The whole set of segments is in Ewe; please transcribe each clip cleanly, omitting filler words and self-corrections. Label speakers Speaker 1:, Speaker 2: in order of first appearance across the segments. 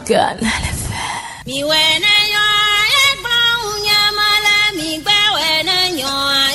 Speaker 1: Canal FM.
Speaker 2: Mi wɛ ne nyɔ ye gblɔ ŋu nye me le mi gbɛ wɛ ne nyɔ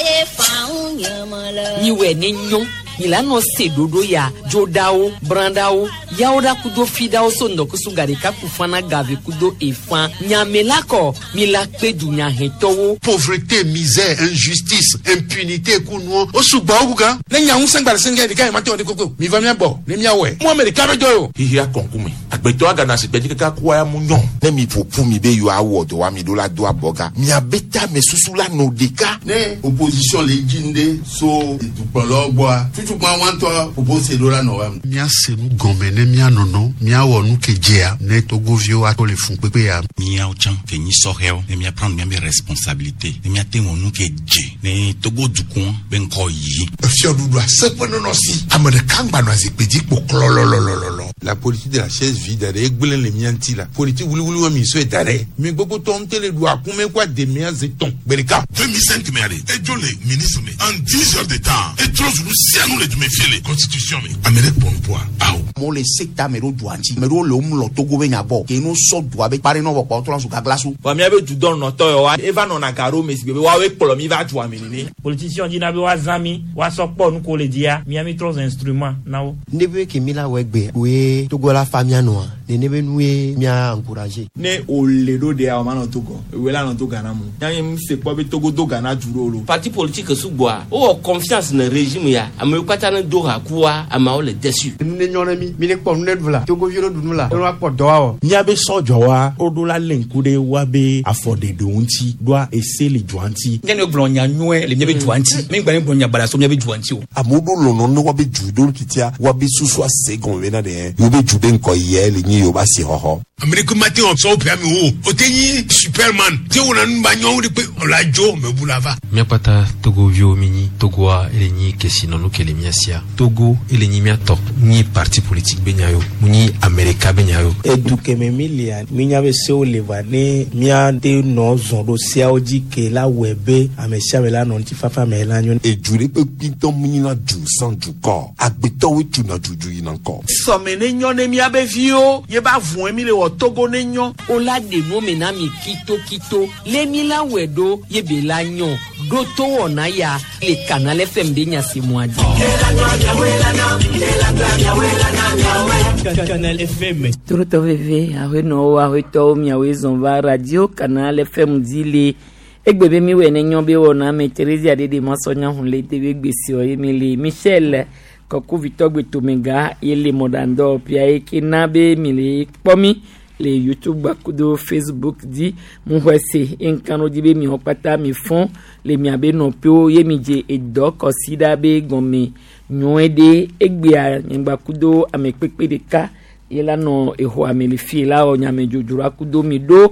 Speaker 2: ye fa ŋu nye me le.
Speaker 3: Miwɛ ne nyɔ mi la nɔ se ɖoɖo ya dzoɖawo brãɖawo yawo ɖa kudo fiɖawo so ŋdɔkusu gaɖeka ku fana gave kudo efã nyame la kɔ mi la kpe dunyahɛtɔwo.
Speaker 4: Pauvreté, misère, injustice, impunité ku nuɔ o sugbɔ wo gan.
Speaker 5: Ne nya ŋusẽ gba le sɛngɛ ɖeka yi ma te wɔ ɖe koko mi va mía gbɔ ne míawɔe. Mu ame ɖeka be dɔ ye o.
Speaker 6: Xixia kɔnkume agbetɔ agana asigbe dzi kaka kua ya mu nyɔ.
Speaker 7: Ne mi ƒoƒu mi be yewoawɔ dɔ wa mi ɖo la do abɔga miabe tame susu la nɔ ɖeka.
Speaker 8: Ne opposition le dzi ŋɖe so dukplɔlawo gbɔa tutukpa wa ŋutɔ propose ɖo la nɔ wa.
Speaker 4: Míase nu gɔme ne míanɔnɔ míawɔ nu ke dzea ne togoviwo ato le fun kpekpe ya.
Speaker 9: Míawo tsã ke nyi sɔhɛwo ne míaprendre míabe responsabilité ne míate wɔ nu ke dze ne Togo dukɔ be ŋkɔ yi.
Speaker 5: Efiɔɖuɖu aseƒe nɔnɔ si ame ɖeka ŋgba nɔ azikpui dzi kpo klɔlɔlɔlɔlɔ.
Speaker 8: La politique de la chaise vide ɖe egblẽ le mía ŋuti la politique wuliwuli wa mi sɔe da ɖe mi gbogbo tɔ ŋutɛ le ɖu akume kó ademea ze tɔn gbe ɖeka.
Speaker 5: 2005 me ale edzo le ministre me en 10 heures de temps etrɔ zu nu sia nu le dume fie le constitution me ame ɖe kpɔ nuƒoa awo.
Speaker 10: Amewo le se ta ame ɖewo dua ŋuti ame ɖewo le wo mlɔ Togo be nya gbɔ ke no sɔ dua be kpa ɖe nɔ vɔ kpɔ trɔ zu gaglasu.
Speaker 11: Vɔ míabe dudɔnɔtɔ yawoa eva nɔna ga ɖo me si gbe be woawoe kplɔ mi va dua me nene.
Speaker 12: Politicien dzina be woazã mi woasɔ kpɔ nu ko le dzia mía mi trɔ zu instrument na wo.
Speaker 13: Ne be ke mi la wɔ egbe koe Togo la fa mía nɔa nene be nue mía encourager.
Speaker 11: Ne wòle ɖo ɖea o manɔ Togo ewoe la nɔ to Ghana mo. Nya nye se kpɔ be Togo do Ghana du ɖo lo.
Speaker 14: Parti politique sugbɔa wowɔ confiance ne régime ya amewo katã ne do ha kua ameawo le déçu.
Speaker 13: Nu ne nyɔ ne mi mi ne kpɔ nu ne ɖu la Togoviwo ɖu nu la ne woakpɔ dɔ awɔ.
Speaker 15: Míabe sɔdzɔwa woɖo la lé ŋku ɖe woabe afɔɖeɖewo ŋuti ɖoa ese le dua ŋuti.
Speaker 16: Nye ne gblɔ nya nyuie le míabe dua ŋuti mi gba ne gblɔ nya baɖa so míabe dua ŋuti o.
Speaker 7: Amewo ɖo lɔlɔ ne woabe du ɖo titia woabe susu ase gɔme bena ɖe yewobe du be ŋkɔ yɛ le nyi yewobe asixɔxɔ.
Speaker 5: Ame ɖeke mate wɔ sɔwo ƒe amewo o o te nyi superman te wɔna nu ba nyɔwo ɖe kpe ɔla dzo mebu la va.
Speaker 17: Míakpata Togoviwo mi nyi Togoa ele nyi kesinɔnu ke le mía sia. Togo ele nyi mía tɔ. Nyi parti politique be nya yo. Mu nyi ame ɖeka be nya yo.
Speaker 18: Edu keme mi lia mínya be sewo le va ne míate nɔ zɔn ɖo seawo dzi ke la wɔe be ame sia ame la nɔ ŋutifafa me la nyo.
Speaker 7: Edu ɖe kpekpe ŋutɔ mu nyina du sans dukɔ. Agbetɔwoe tuna dudu yina ŋkɔ.
Speaker 19: Sɔme ne nyɔ ne míabe viwo ye ba vɔe mi le wɔ Togo ne nyɔ.
Speaker 3: O la ɖe nu me na mi kitokito le mi la wɔe ɖo ye be la nyɔ ɖo to wɔna ya le Canal FM be nya si mua dzi.
Speaker 12: Canal FM.
Speaker 3: Torotɔ veve aƒenɔwo aƒetɔwo miawoe zɔn va radio Canal FM dzi le egbe be mi wɔ ne nyɔ be wɔna me Theresia ɖeɖe masɔnya hun le te be gbesiɔ ye mi le Michel kɔkuvitɔ gbetomega ye le mɔɖaŋdɔ pia ye ke na be mi le kpɔ mi le YouTube kudo Facebook dzi mu xɔe se ye ŋka dzi be miawo kpata mi fɔn le miabe nɔƒewo ye mi dze edɔ kɔsi ɖa be gɔme nyɔe ɖe egbea nyigba kudo ame kpekpe ɖeka ye la nɔ exɔa me le fie la wɔ nyame dzodzroa kudo mi ɖo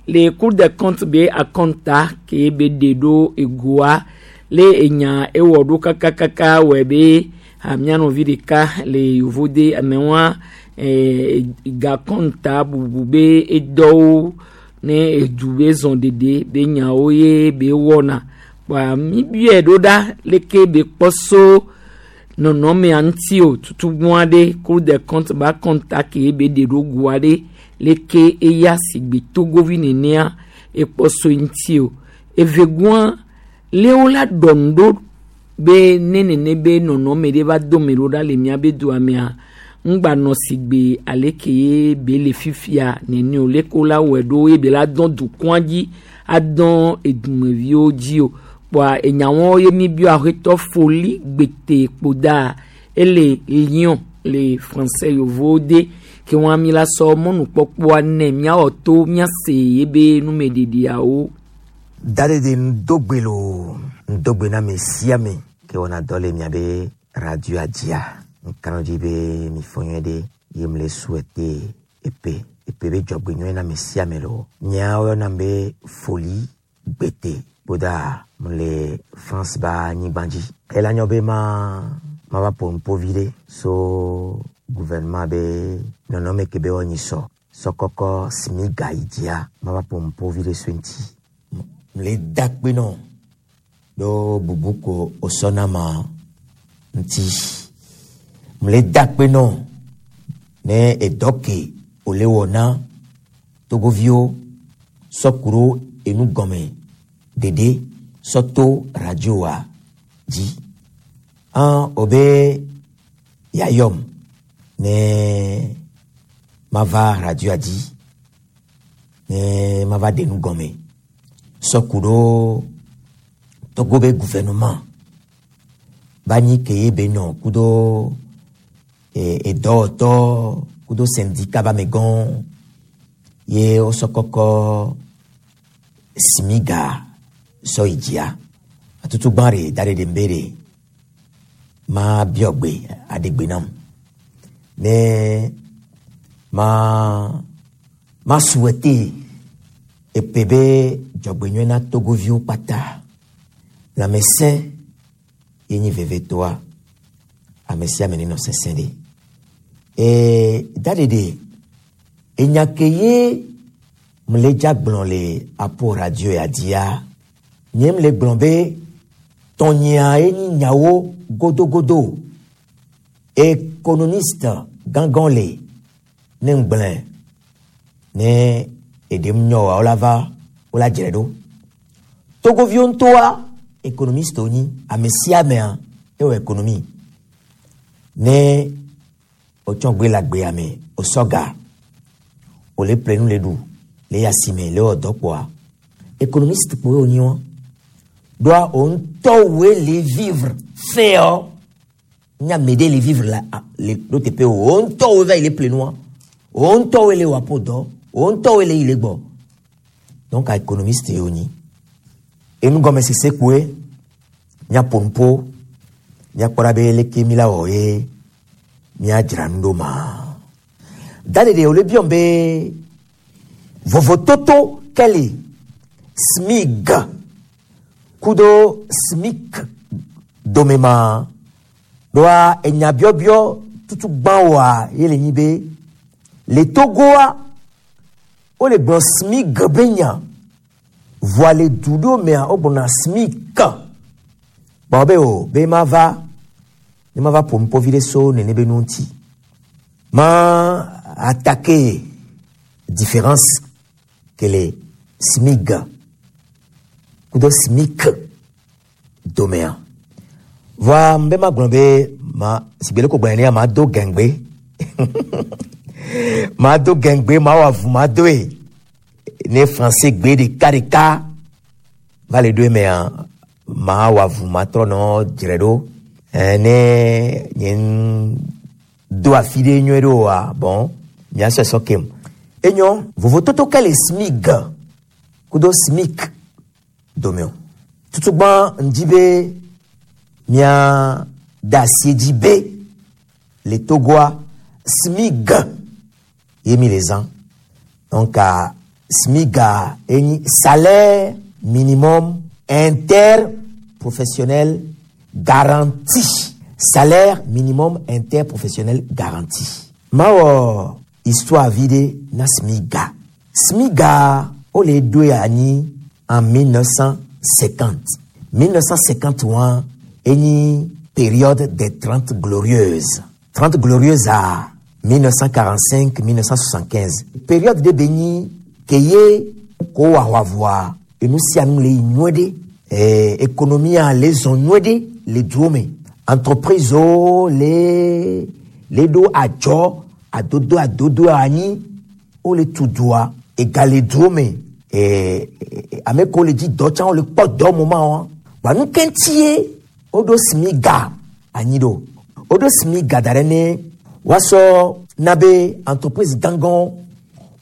Speaker 3: le Cour des comptes be akɔnta ke be ɖe ɖo egoa le enya ewɔ ɖo kakakaka wɔe be mía nɔvi ɖeka le yovode amewoa gakɔnta bubu be edɔwo ne edu be zɔn ɖeɖe be nyawo ye be wɔna kpɔa mi biɛ ɖo ɖa leke be kpɔ so nɔnɔmea ŋuti o tutugbɔn aɖe Cour des comptes ba kɔnta ke be ɖe ɖo goa ɖe leke eya sigbe togovi nenea ekpɔ so ŋuti o evegɔa lewo la ɖɔ nu ɖo be ne nene be nɔnɔme ɖe va do me ɖo ɖa le míabe dua mea ŋgba nɔ sigbe aleke ye be le fifia nene o leke la wɔe ɖo ye be la dɔn dukɔa dzi adɔn edumeviwo dzi o kpɔa enyawo ye mi biɔ aƒetɔ foli gbete kpoda ele Lyon le français yovowo de ke wɔn mi la sɔ mɔnukpɔkpɔa nɛ miawɔ to miase ye be numeɖeɖeawo.
Speaker 13: Daɖeɖe ŋdogbe loo ŋdogbe na ame sia ame ke wɔna dɔ le miabe radioa dzia ŋkanu dzi be mi fɔ nyuie ɖe ye mle souhaiter epe epe be dzɔgbe nyuie na ame sia ame loo nyawo yɔnam be Foli Gbete kpoda mle France ba anyigba dzi ela nyɔ be ma mava ƒo nuƒo vi ɖe so gouvernement be nɔnɔme ke be wɔnyi sɔ sɔkɔkɔ smiga yi dzia mava ƒo nuƒo vi ɖe so eŋuti mle da kpe nɔ ɖo bubu ko wosɔna ma ŋuti mle da kpe nɔ ne edɔ ke wòle wɔ na togoviwo sɔ ku ɖo enu gɔme ɖeɖe sɔ to radioa dzi. An wobe yeayɔm ne mava radioa dzi ne mava ɖe nu gɔme sɔ ku ɖo Togo be gouvernement ba nyi ke ye be nɔ kudo edɔwɔtɔ kudo syndicat ba amegãwo ye wosɔ kɔkɔ simiga sɔ yi dzia. Atutugbã ɖe da ɖe ɖe be ɖe ma biɔ gbe aɖe gbe nam ne ma ma souhaiter epe be dzɔgbenyuie na togoviwo kpata. Lãmesẽ ye nyi vevetoa ame sia ame nenɔ sesẽ ɖe. Ee, daɖeɖe enya ke ye mle dza gblɔ le apo radio ya dzia, nye mle gblɔ be tɔnyea ye nyi nyawo godogodo. Économiste gãgã le ne ŋgblẽ ne eɖem nyɔ wa wola va wola dzre ɖo. Togoviwo ŋutɔa économiste wonyi ame sia amea ewɔ économie ne wotsɔ gbe le agbea me wosɔ ga wòle ƒle nu le ɖu le yi asime le wɔ dɔ kpɔa économiste kpoe wonyi wɔn ɖoa wo ŋutɔ woe le vivre fɛɔ nye ame ɖe le vivre la le ɖo teƒe o wo ŋutɔ woe va yi le ƒle nua wo ŋutɔ woe le wɔ aƒo dɔ wo ŋutɔ woe le yi le gbɔ donc économiste ye wonyi enugɔmesese kpoe míaƒo nuƒo míakpɔ ɖa be leke mi la wɔ ye míadzra nu ɖo ma daɖeɖe wòle biɔm be vovototo ke le SMIG kudo SMIC dome ma ɖoa enya biɔbiɔ tutu gbã woa ye le nyi be le Togoa wole gblɔ SMIG be nya voa le du ɖewo mea wogblɔna SMIC gbɔ be o be mava ne mava ƒo nuƒo vi ɖe so nene be nu ŋuti ma attaquer différence ke le SMIG kudo SMIC domea voa mbe magblɔ be ma sigbe le ko gblɔ nenea ma do gɛngbe ma do gɛngbe ma wɔ avu ma doe ne français gbe ɖeka ɖeka va le ɖo emea ma wɔ avu ma trɔ nɔ dzre ɖo ne nye do afi ɖe nyuie ɖo oa bon miasɔe sɔ kem enyo vovototo ke le SMIG kudo SMIC dome o tutugbã ŋdi be mia da asi dzi be le Togoa SMIG ye mi le zã donc SMIG enyi salaire minimum interprofessionnel garanti salaire minimum interprofessionnel garanti mawɔ histoire vi ɖe na SMIGA SMIGA wole ɖoe anyi en 1950 1951 enyi période des 30 glorieuses 30 glorieuses à 1945 1975 période ɖe be nyi ke ye ko wɔ aʋaʋua enu sia nu le yi nyuie ɖe économie le zɔn nyuie ɖe le duwo me entreprise wo le le ɖo adzɔ adodo adodo anyi wole tu dua ega le duwo me ame kewo le dzi dɔ tsã wole kpɔ dɔ moment wa wa nu ke ŋuti ye woɖo SMIGA anyi ɖo woɖo SMIGA da ɖe ne woasɔ na be entreprise gãgãwo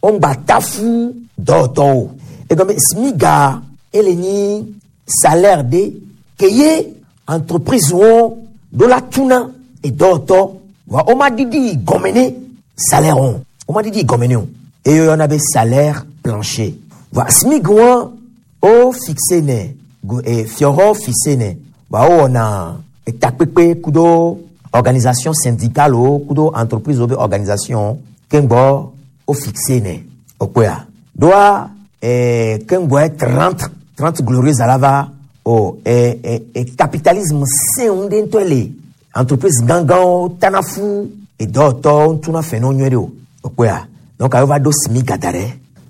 Speaker 13: woŋgba tafu dɔwɔtɔwo egɔme SMIGA ele nyi salaire ɖe ke ye entreprise wo ɖo la tuna edɔwɔtɔ wa woma ɖiɖi gɔme ne salaire wo woma ɖiɖi gɔme ne o eye woyɔna be salaire plancher wa SMIG wa wo fixe nɛ fiɔhɔ fixe nɛ wa wowɔna etakpekpe kudo organisation syndicale wo kudo entreprise wo be organisation keŋgbɔ wo fixe nɛ okpɔa ɖoa keŋgbɔe 30 30 glorieuses ala va o capitalisme sẽŋu ɖe ŋutɔ le entreprise gãgãwo tana fu edɔwɔtɔwo ŋutuna fɛ ne wo nyuie ɖe o okpɔa. Donc ayo va ɖo smiga da ɖe.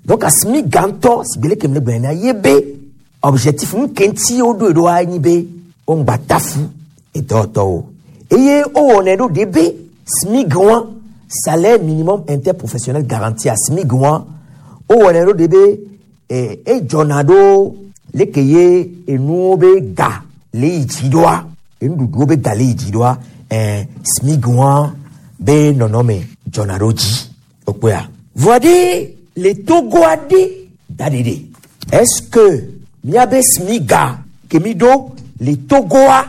Speaker 13: Donc smiga ŋutɔ si gbe leke mi le gblɔe nea ye be objectif nu ke ŋuti woɖoe ɖoa enyi be woŋgba tafu edɔwɔtɔwo eye wowɔnɛ ɖo ɖe be SMIG wa salaire minimum interprofessionnel garanti a SMIG wa wowɔnɛ ɖo ɖe be eh, edzɔna ɖo leke ye enuwo be ga le yi dzi ɖoa enuɖuɖuwo be ga le yi dzi ɖoa eh, SMIG wa be nɔnɔme dzɔna ɖo dzi okpɔa vɔa ɖe le Togoa ɖe da ɖe ɖe est-ce que miabe SMIGA ke mi ɖo le Togoa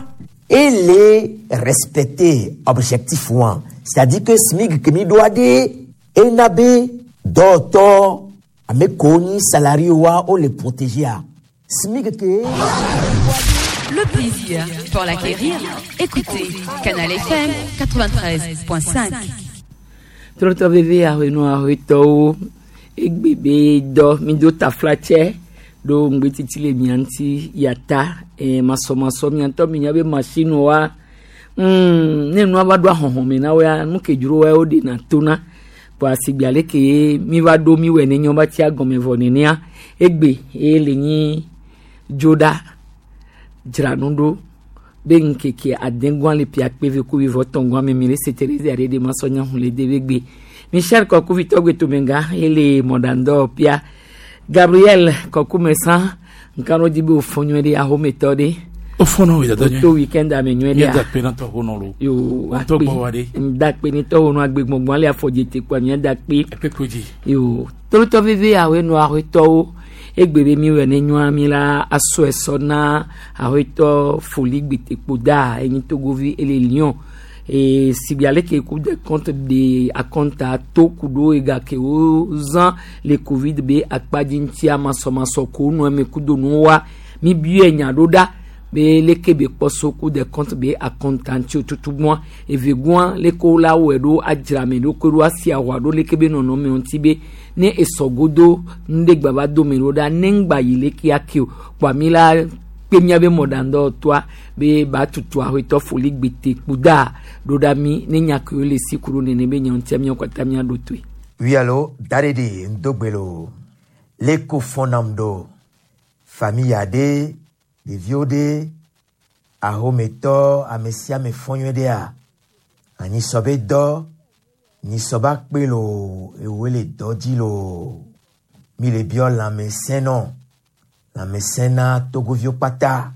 Speaker 13: ele respecter objectif wa c'est-à-dire que SMIG ke mi ɖoa ɖe ena be dɔwɔtɔ ame kewo nyi salarié wa wole protéger a SMIG ke.
Speaker 1: Le plaisir pour l'acquérir, écoutez Canal FM 93.5.
Speaker 3: Trɔtrɔ veve ahenɔ ahetɔwo egbe be dɔ mi do taflatsɛ ɖo ŋgbetiti le mia ŋuti yata eh, masɔmasɔ mia ŋutɔ mi nya be machine wa ne nua va ɖo ahɔhɔme na woa nu ke dzro wa woɖena tona kpoa sigbe ale ke mi va ɖo mi wɔ ne nyɔ va tsia gɔme vɔ nenea egbe ye le nyi dzoɖa dzra nu ɖo be ŋkeke adegua le pia kpe ve ku vivɔ tɔngua me mi le se terezi aɖe ɖe masɔ nya hu le de be gbe michel kɔkuvitɔ gbetomega ele mɔɖaŋdɔ pia gabriel kɔkumesa nkanu dzi be wòfɔ nyuie ɖe ahometɔ ɖe
Speaker 20: Ofɔnɔ wo dada nyuie.
Speaker 3: to weekend ame nyuie
Speaker 20: Míeda
Speaker 3: ɖea
Speaker 20: kpe na tɔwo nɔ lo.
Speaker 3: yo
Speaker 20: Ŋutɔ gbɔ wa ɖe.
Speaker 3: ŋdakpe ne tɔwo nɔ agbegbɔngbɔn ale afɔdze kpoa míadakpe
Speaker 20: Ekpekpe dzi.
Speaker 3: yo tolotɔ veve awoe nɔ ahoetɔwo egbe be mi wɔ ne nyɔa mi la asɔ esɔ na ahoetɔ foli gbetekpo da enyi togovi ele lion e sigbe ale ke Cour des comptes de akɔnta to ku ɖo ega ke wo zã le covid be akpadzi ŋutia masɔmasɔ ko nɔ eme kudo nuwo wa mi biɛ nya ɖo ɖa be leke be kpɔ so Cour des comptes be akɔnta ŋuti tutu gbɔa evegɔa leke wo la wɔe ɖo adzra me ɖo ko ɖo asi ahua ɖo leke be nɔnɔme ŋuti be ne esɔ godo ŋɖe gba va do me ɖo ɖa ne ŋgba yi leke ake o kpoa mi la kpe miabe mɔɖaŋdɔwɔtɔa be ba tutu ahoetɔ foli gbete kpuda ɖo ɖa mi ne nya kewo le si ku ɖo nene be nya ŋutia miawo katã miaɖo toe.
Speaker 13: Oui, allo, Darede, Ndogbelo, Leko Fonamdo, famille aɖe, ɖeviwo ɖe, ahometɔ, ame sia ame fɔ nyuie ɖea, anyisɔ be dɔ, nyisɔ ba kpe loo, ewoe le dɔ dzi loo, mi le biɔ lãmesẽ nɔ, lãmesẽ na togoviwo kpata,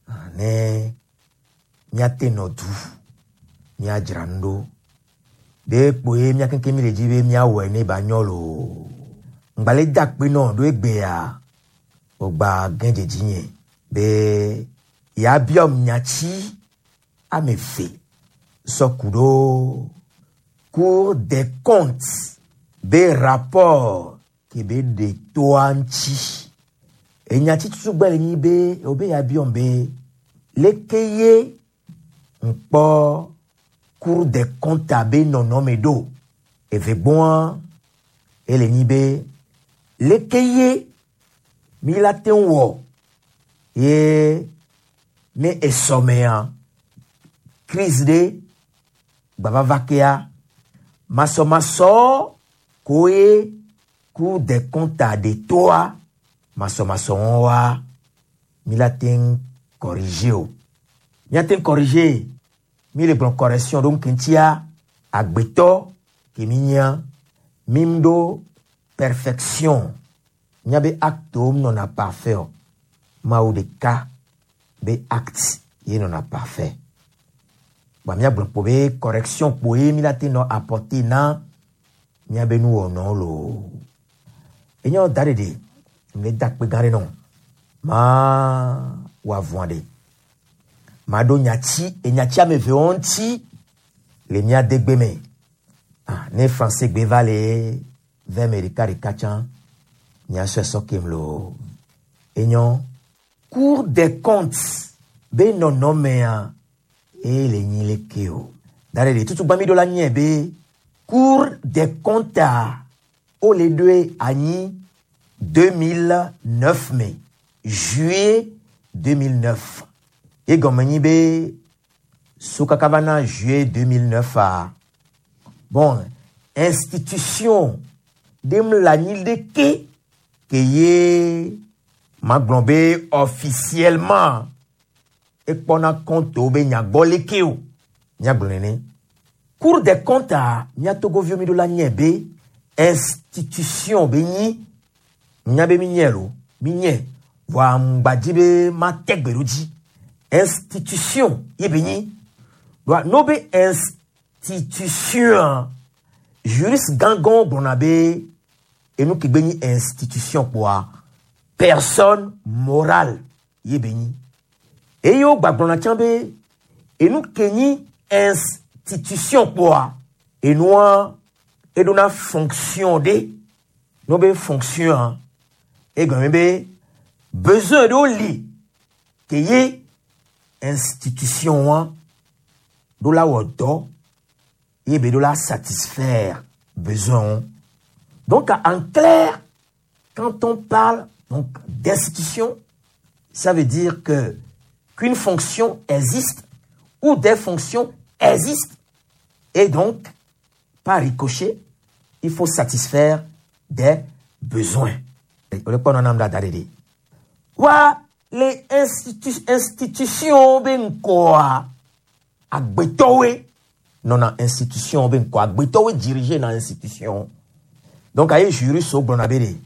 Speaker 13: ah, ne míate nɔ du, míadzra nu ɖo. Ɖe kpoe mía keŋkeŋ mi le dzi be míawɔe ne ba nyɔ loo. Ŋgbalẽ da akpe nɔ ɖo egbea, wògba gẽ dzedzi nye be yeabiɔ nyatsi ame eve sɔ ku ɖo Cour des comptes be rapport ke be ɖe toa ŋuti. Enyatsi tutu gbɛ le nyi be wobe yeabiɔm be leke ye ŋkpɔ Cour des comptes be nɔnɔme ɖo. Eve gbɔa ele nyi be leke ye mi la te ŋu wɔ ye ne esɔmea crise ɖe gbavava kea masɔmasɔ koe Cour des comptes ɖe toa masɔmasɔ wa mi la te ŋu corriger o. Míate ŋu corriger mi le gblɔ correction ɖo ŋkeŋtia agbetɔ ke mi nyia mi ɖo perfection míabe acte nɔna parfait o mawu ɖeka be acte ye nɔna parfait gba míagblɔ kpo be correction kpoe mi la te nɔ apporter na míabe nuwɔnɔwo loo enye da ɖeɖe mi le da akpe gã ɖe nɔ maa wɔ avɔa ɖe maɖo nyatsi enyatsi ame evewo ŋuti le mía degbe me ah, ne français gbe va le vɛ me ɖeka ɖeka tsã miasɔe sɔ kem loo enyɔ Cour des comptes be nɔnɔmea eye le nyi leke o da ɖe ɖe tutu gbã mi ɖo la nye be Cour des comptes a wole ɖoe anyi 2009 me juillet 2009 ye gɔme nyi be so kaka va na juillet 2009 a bon institution Ɖe mu le anyi ɖeke ke ye magblɔ be officiellement ekpɔna compte be nya gbɔ leke o. Míagblɔ nene. Cour des comptes a mía Togoviwo mi ɖo la nye be institution be nyi nya be mi nye lo mi nye vɔa ŋgbadzi be mate gbe ɖo dzi. Institution ye be nyi. Doa no be institution juriste gãgãwo gblɔna be enu ke gbe nyi institution kpoa personne morale ye be nyi. Eye wo gbagblɔna tsã be enu ke nyi institution kpoa enua eɖona fonction ɖe. No be fonction egɔme be besoin ɖewo li ke ye institution wa ɖo la wɔ dɔ ye be ɖo la satisfaire besoin wo. Donc en clair, quand on parle donc d'institution, ça veut dire que qu'une fonction existe ou des fonctions existent et donc par ricochet, il faut satisfaire des besoins. Wa les institutions be ŋkɔa agbetɔwoe nɔna institution be ŋkɔ agbetɔwoe dirige na institution. Donc aye juriste wo gblɔna be ɖe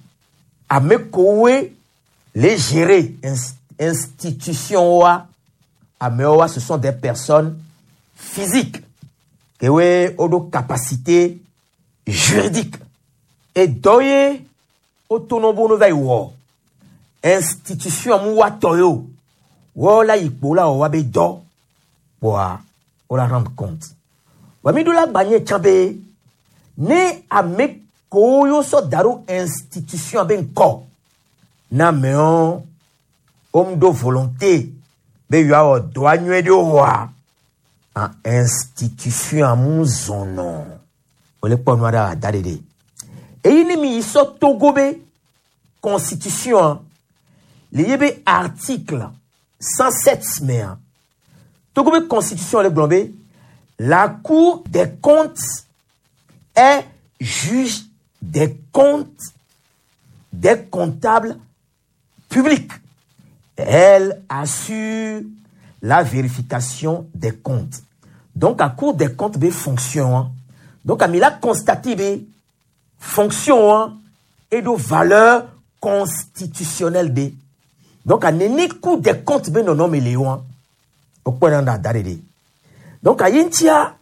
Speaker 13: ame kowoe le gérer institution wa amewo wa ce sont des personnes physiques kewoe woɖo capacité juridique edɔ ye wotonɔ be wono va yi wɔ institution mu wa tɔ ye o wɔwo la yi kpo la wɔ wa be dɔ kpoa wo la rendre compte. Wa mi ɖo la gba nye tsã be ne ame kowo yo sɔ da ɖo institution be ŋkɔ na amewo wo ɖo volonté be yewoawɔ dɔa nyuie ɖe woa a institution mu zɔnɔ wòle kpɔ nua ɖe ada ɖeɖe eyi ne mi yi sɔ Togo be constitution le ye be article 107 mea Togo be constitution le gblɔ be la Cour des comptes est juge des comptes des comptables publics. Elle assure la vérification des comptes. Donc, la Cour des comptes be fonction. Hein. Donc, il a constaté be fonction hein, et de valeur constitutionnelle de. Donc, à nene Cour des comptes be non non léon. Au point d'arrêter. Donc, à Yintia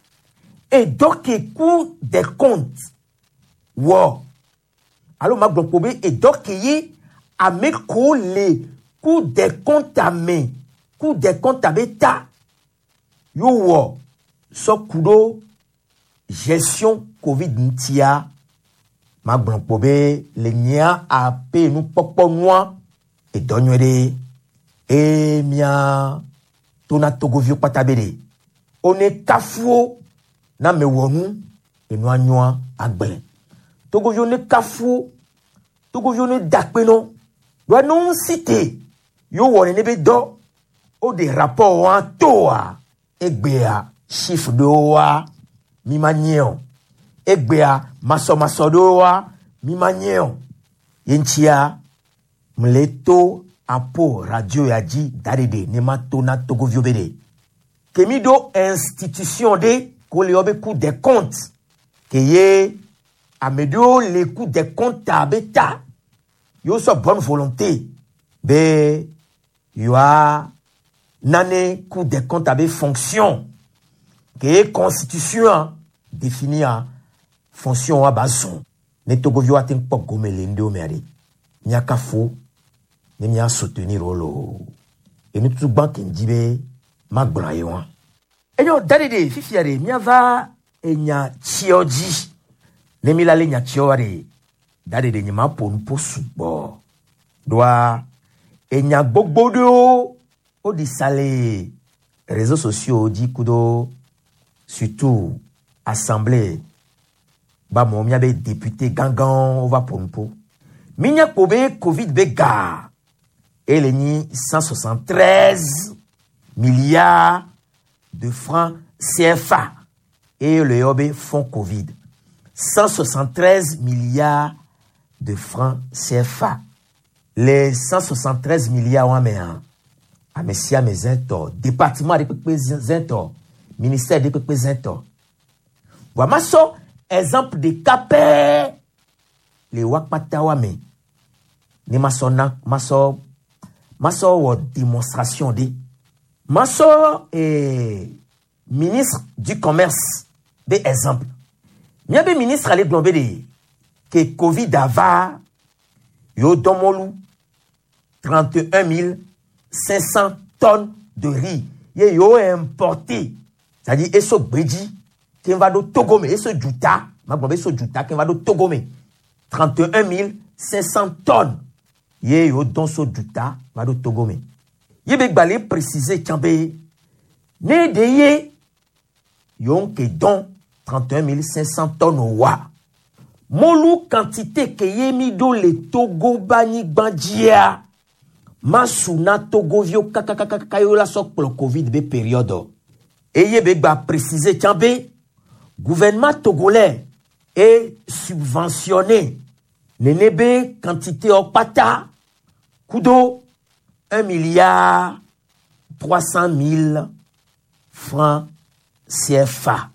Speaker 13: et donc Cour des comptes. Wow. Alors, ma bloc et donc y a me collé Cour des comptes à me, Cour des comptes à bêta. Yo wo so kudo gestion Covid ntia ma gblɔ be le nyia ape nukpɔkpɔ nua edɔ nyuie ɖe eye mia tona Togoviwo kpata be ɖe one kafuwo na mewɔ nu enua nyoa agblẽ Togoviwo ne kafuwo Togoviwo ne dakpe nɔ ɖoa ne ŋusi te yo wɔ nene be dɔ o de rapport wa toa egbea chiffre ɖewo wa mi ma nye o egbea masɔmasɔ ɖewo wa mi ma nye o ye ŋutia mle to apo radio ya dzi da ɖeɖe ne ma to na Togoviwo be ɖe ke mi ɖo institution ɖe ko le yɔ be Cour des comptes ke ye ame ɖewo le Cour des comptes be ta yewo sɔ bonne volonté be yewoa nane Cour des comptes abe fonction ke ye constitution définia fonction wa ba zɔn ne Togoviwo ate ŋu kpɔ gome le ŋɖewo mea ɖe míakafo ne mía soutenir wo loo enu tutu gbã ke ŋdi be magblɔ ye wa. Enyo da ɖeɖe fifia ɖe míava enya tsiɔ dzi ne mi la le nya tsiɔ wa ɖe da ɖeɖe nye ma ƒo nuƒo sugbɔ ɖoa enya gbogbo ɖewo woɖi sa le réseaux sociaux dzi kudo surtout assemblée ba mɔ míabe député gãgãwo wova ƒo nuƒo. Mínya kpo be Covid be ga ele nyi 173 milliards de francs CFA et le yɔ be fonds Covid 173 milliards de francs CFA. Le 173 milliards wa mea, ame sia ame zẽ tɔ, département ɖe kpekpe zẽ tɔ, ministère ɖe kpekpe zẽ tɔ. Vɔa masɔ exemple ɖeka pɛɛ le wa kpata wa me ne masɔ na masɔ masɔ wɔ démonstration ɖe. Masɔ ministre du commerce be exemple. Míabe ministre ale gblɔ be ɖe ke Covid ava yewo dɔ mɔlu 31 500 tonnes de riz ye yewo importé, c'est-à-dire eso gbedzi ke va ɖo Togo me, eso dzuta, magblɔ be eso dzuta ke va ɖo Togo me 31 500 tonnes ye yewo dɔn so dzuta va ɖo Togo me. Ye be gbalẽ préciser tsã be ne ɖe ye yewo ke dɔn 31 500 tonnes wa mɔlu quantité ke ye mi ɖo le Togo be anyigba dzia masu na Togoviwo kakakakaka ye wola sɔ kplɔ Covid be période. Eye be gba préciser tsã be gouvernement togolais e subventionné nene be quantité wo kpata kudo 1 milliard 300 000 francs CFA.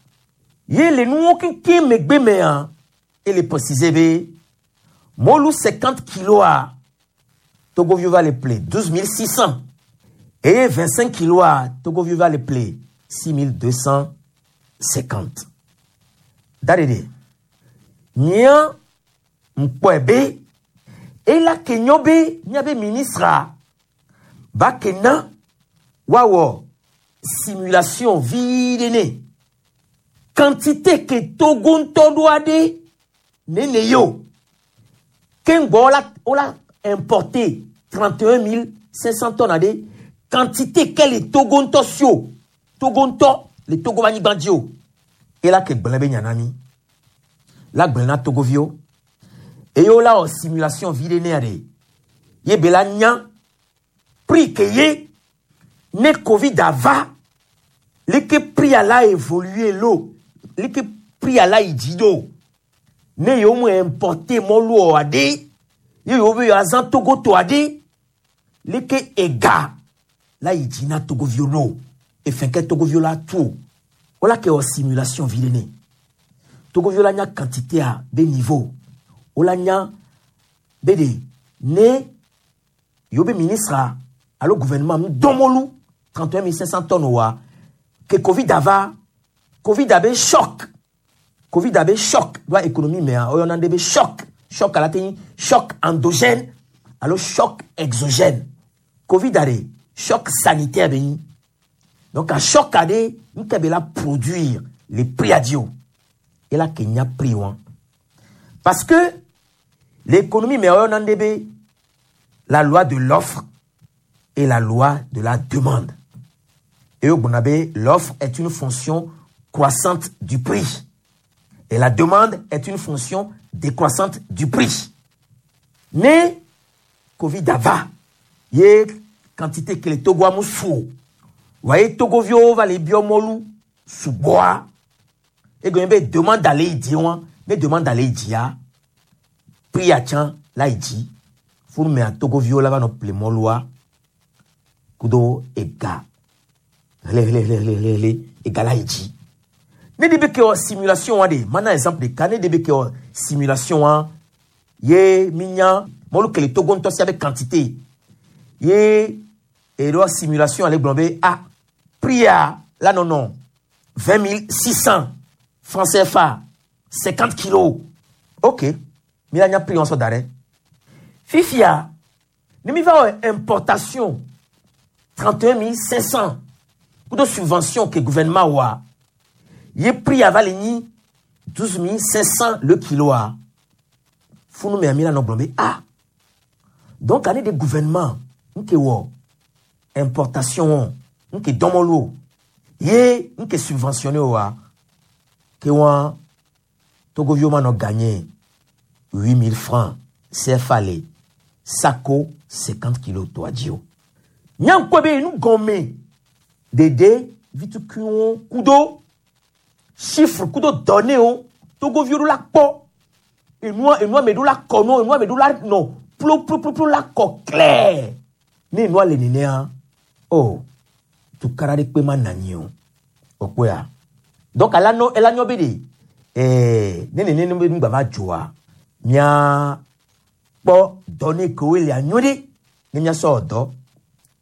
Speaker 13: Ye le nuwo keŋkeŋ megbe mea, ele préciser be mɔlu 50 kilos a Togoviwo va le ple 12 600 et 25 kilos a Togoviwo va le ple 6 250. Daɖeɖe, nyea ŋkpɔe be ela ke nyɔ be míabe ministre ba ke na woawɔ simulation vi ɖe ne quantité ke Togo ŋutɔ ɖoa ɖe nene ye o ke ŋgbɔ wola importé 31 500 tonnes aɖe quantité ke le Togo ŋutɔ si o Togo ŋutɔ le Togo be anyigba dzi o ela ke gblẽ be nya na mi la gblẽ na Togoviwo eye wola wɔ simulation vi ɖe nea ɖe ye be la nya prix ke ye ne Covid ava leke prix la évolué lo leke prix la yi dzi ɖo ne yewo mu importé mɔlu o aɖe ye yewo be yewoazã Togo tɔ aɖe leke ega la yi dzi na Togoviwo ɖo efɛn ke Togoviwo la tu o wola ke wɔ simulation vi ɖe ne Togoviwo la nya quantité a be niveau wola nya be ɖe ne yewo be ministre alo gouvernement mu dɔn mɔlu 31 500 tonnes wa ke Covid ava Covid abe choc Covid abe choc ɖoa économie mea woyɔna ɖe be choc choc ala te nyi choc endogène alo choc exogène. Covid aɖe choc sanitaire be nyi donc a choc aɖe nke be la produire le prix adi o ela ke nya prix wa parce que l'économie mea woyɔna ɖe be la loi de l'offre et la loi de la demande. Et au be l'offre est une fonction croissante du prix et la demande est une fonction décroissante du prix. Mais Covid ava ye quantité ke le Togo amu su o voyez Togoviwo va le biɔ mɔlu sugbɔa egɔme be demande ale yi dzi wa ne demande ale yi dzia prix atsã la yi dzi funu mea Togoviwo la va nɔ ple mɔlua kudo ega hlehlehlehlehle ega la yi dzi. Ne de be ke wɔ simulation wa de mana exemple ɖeka ne de be ke wɔ simulation wa ye mi nya mɔlu ke le Togo ŋutɔ sia be quantité ye eɖo simulation ale gblɔ be ah prix a la nɔnɔ 20 600 francs CFA 50 kilos ok mi la nya prix wɔn sɔ da ɖe fifia ne mi va wɔ importation 31 500 kudo subvention ke gouvernement wa ye prix ava le nyi 12 500 le kilo a funu mea mi la nɔ gblɔ be ah donc ane de gouvernement nke wɔ importation wɔn nke dɔmɔlu o ye nke subventionné o wa ke wɔn Togoviwo ma nɔ gagné 8000 francs CFA le sako 50 kilos tɔa dzi o nyankpɔ be nu gɔme dede vitukuiwo kudo chiffre kudo données wo Togoviwo ɖo la kpɔ. Enua enua me ɖo la kɔ nɔ enua me ɖo la nɔ ploploploplo la kɔ clair. Ne enua le nenea, oh, tukara ɖe kpe ma na anyi o. Okpɔa. Donc ala nɔ ela nyɔ be de ne nene be nu gbava dzoa, mía kpɔ dɔ ne kewo le anyo ɖe ne míasɔ dɔ.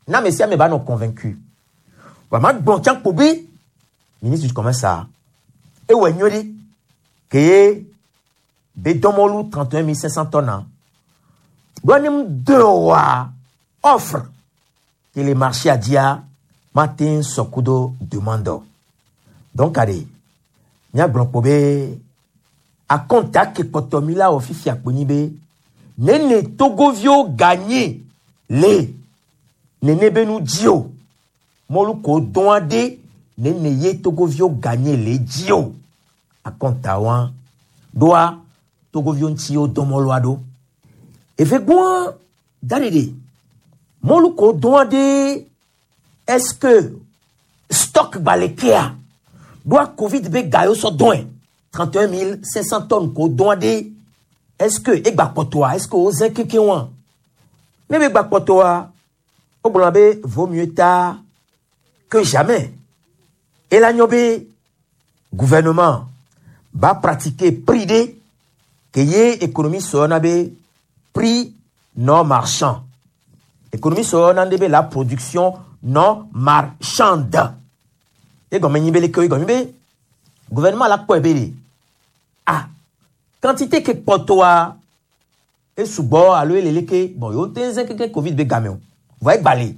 Speaker 13: Na ame sia ame va nɔ convaincu. Wa ma gblɔ tsã kpo be ministre du commerce a ewɔ nyuie ɖe ke ye be dɔmɔlu 31 500 tonnes. Ɖoa ne mu de oa offre ke le marché a dzia mate ŋu sɔ kudo demande o. Donc aɖe míagblɔ kpo be akɔnta ke kpɔtɔ mi la wɔ fifia kpo nyi be nene togoviwo gagné le nene be nu dzi o. Mɔlu ko dɔn aɖe nene ye togoviwo gagné le dzi o. Akɔnta wa ɖoa togoviwo ŋuti wo dɔn mɔlua ɖo. Eve gbɔa da ɖeɖe mɔlu ko dɔn aɖe est-ce que stock gba kea ɖoa covid be ga yewo sɔ dɔn 31 500 tonnes ko dɔn aɖe est-ce que egba kpɔtɔa est-ce que wozẽ kekeŋ wa ne be gba kpɔtɔa wogblɔna be vaut mieux tard que jamais. Ela nyɔ be gouvernement ba pratiquer prix ɖe ke ye économie sɔyɔna be prix non marchand. Économie sɔyɔna ɖe be la production non marchande. Egɔme nyi be leke egɔme be gouvernement la kpɔe be de ah quantité ke kpɔtɔa esugbɔ alo ele leke bon yewo te zẽ keke covid be game o vɔ egba le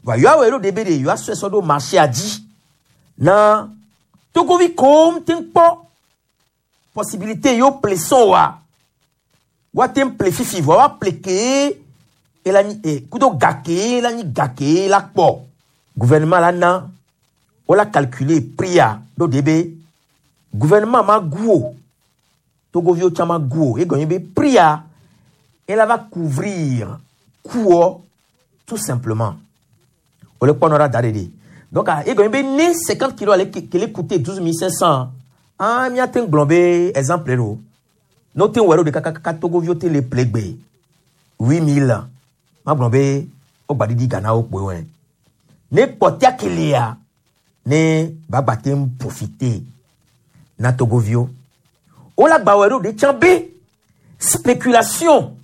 Speaker 13: vɔ yewoa wɔ ɖo de be de yewoa sɔe sɔ ɖo marché a dzi na togovi kom te kpɔ possibilité yewo ple sɔn wa woate ŋu ple fifi vɔ woa ple kee ela nyi e kudo ga kee la nyi ga kee la kpɔ gouvernement la na wola calculer prix a ɖo de be gouvernement ma gu o togoviwo tsã ma gu o egɔme be prix a ela va couvrir coût tout simplement. Wole kpɔnɔ ɖa da ɖe ɖe donc egɔme be ne 50 kilos ale kele coûter 12 500 ah míate ŋu gblɔ be exemple ɖo ne wote ŋu wɔ ɖo ɖeka kakaka togoviwo te le ple gbe 8000 magblɔ be wogba ɖiɖi ga na wo kpoe wɔe ne kpɔtia kelia ne bagba te ŋu profiter na togoviwo wola gba wɔ ɖo ɖe tsã be spéculation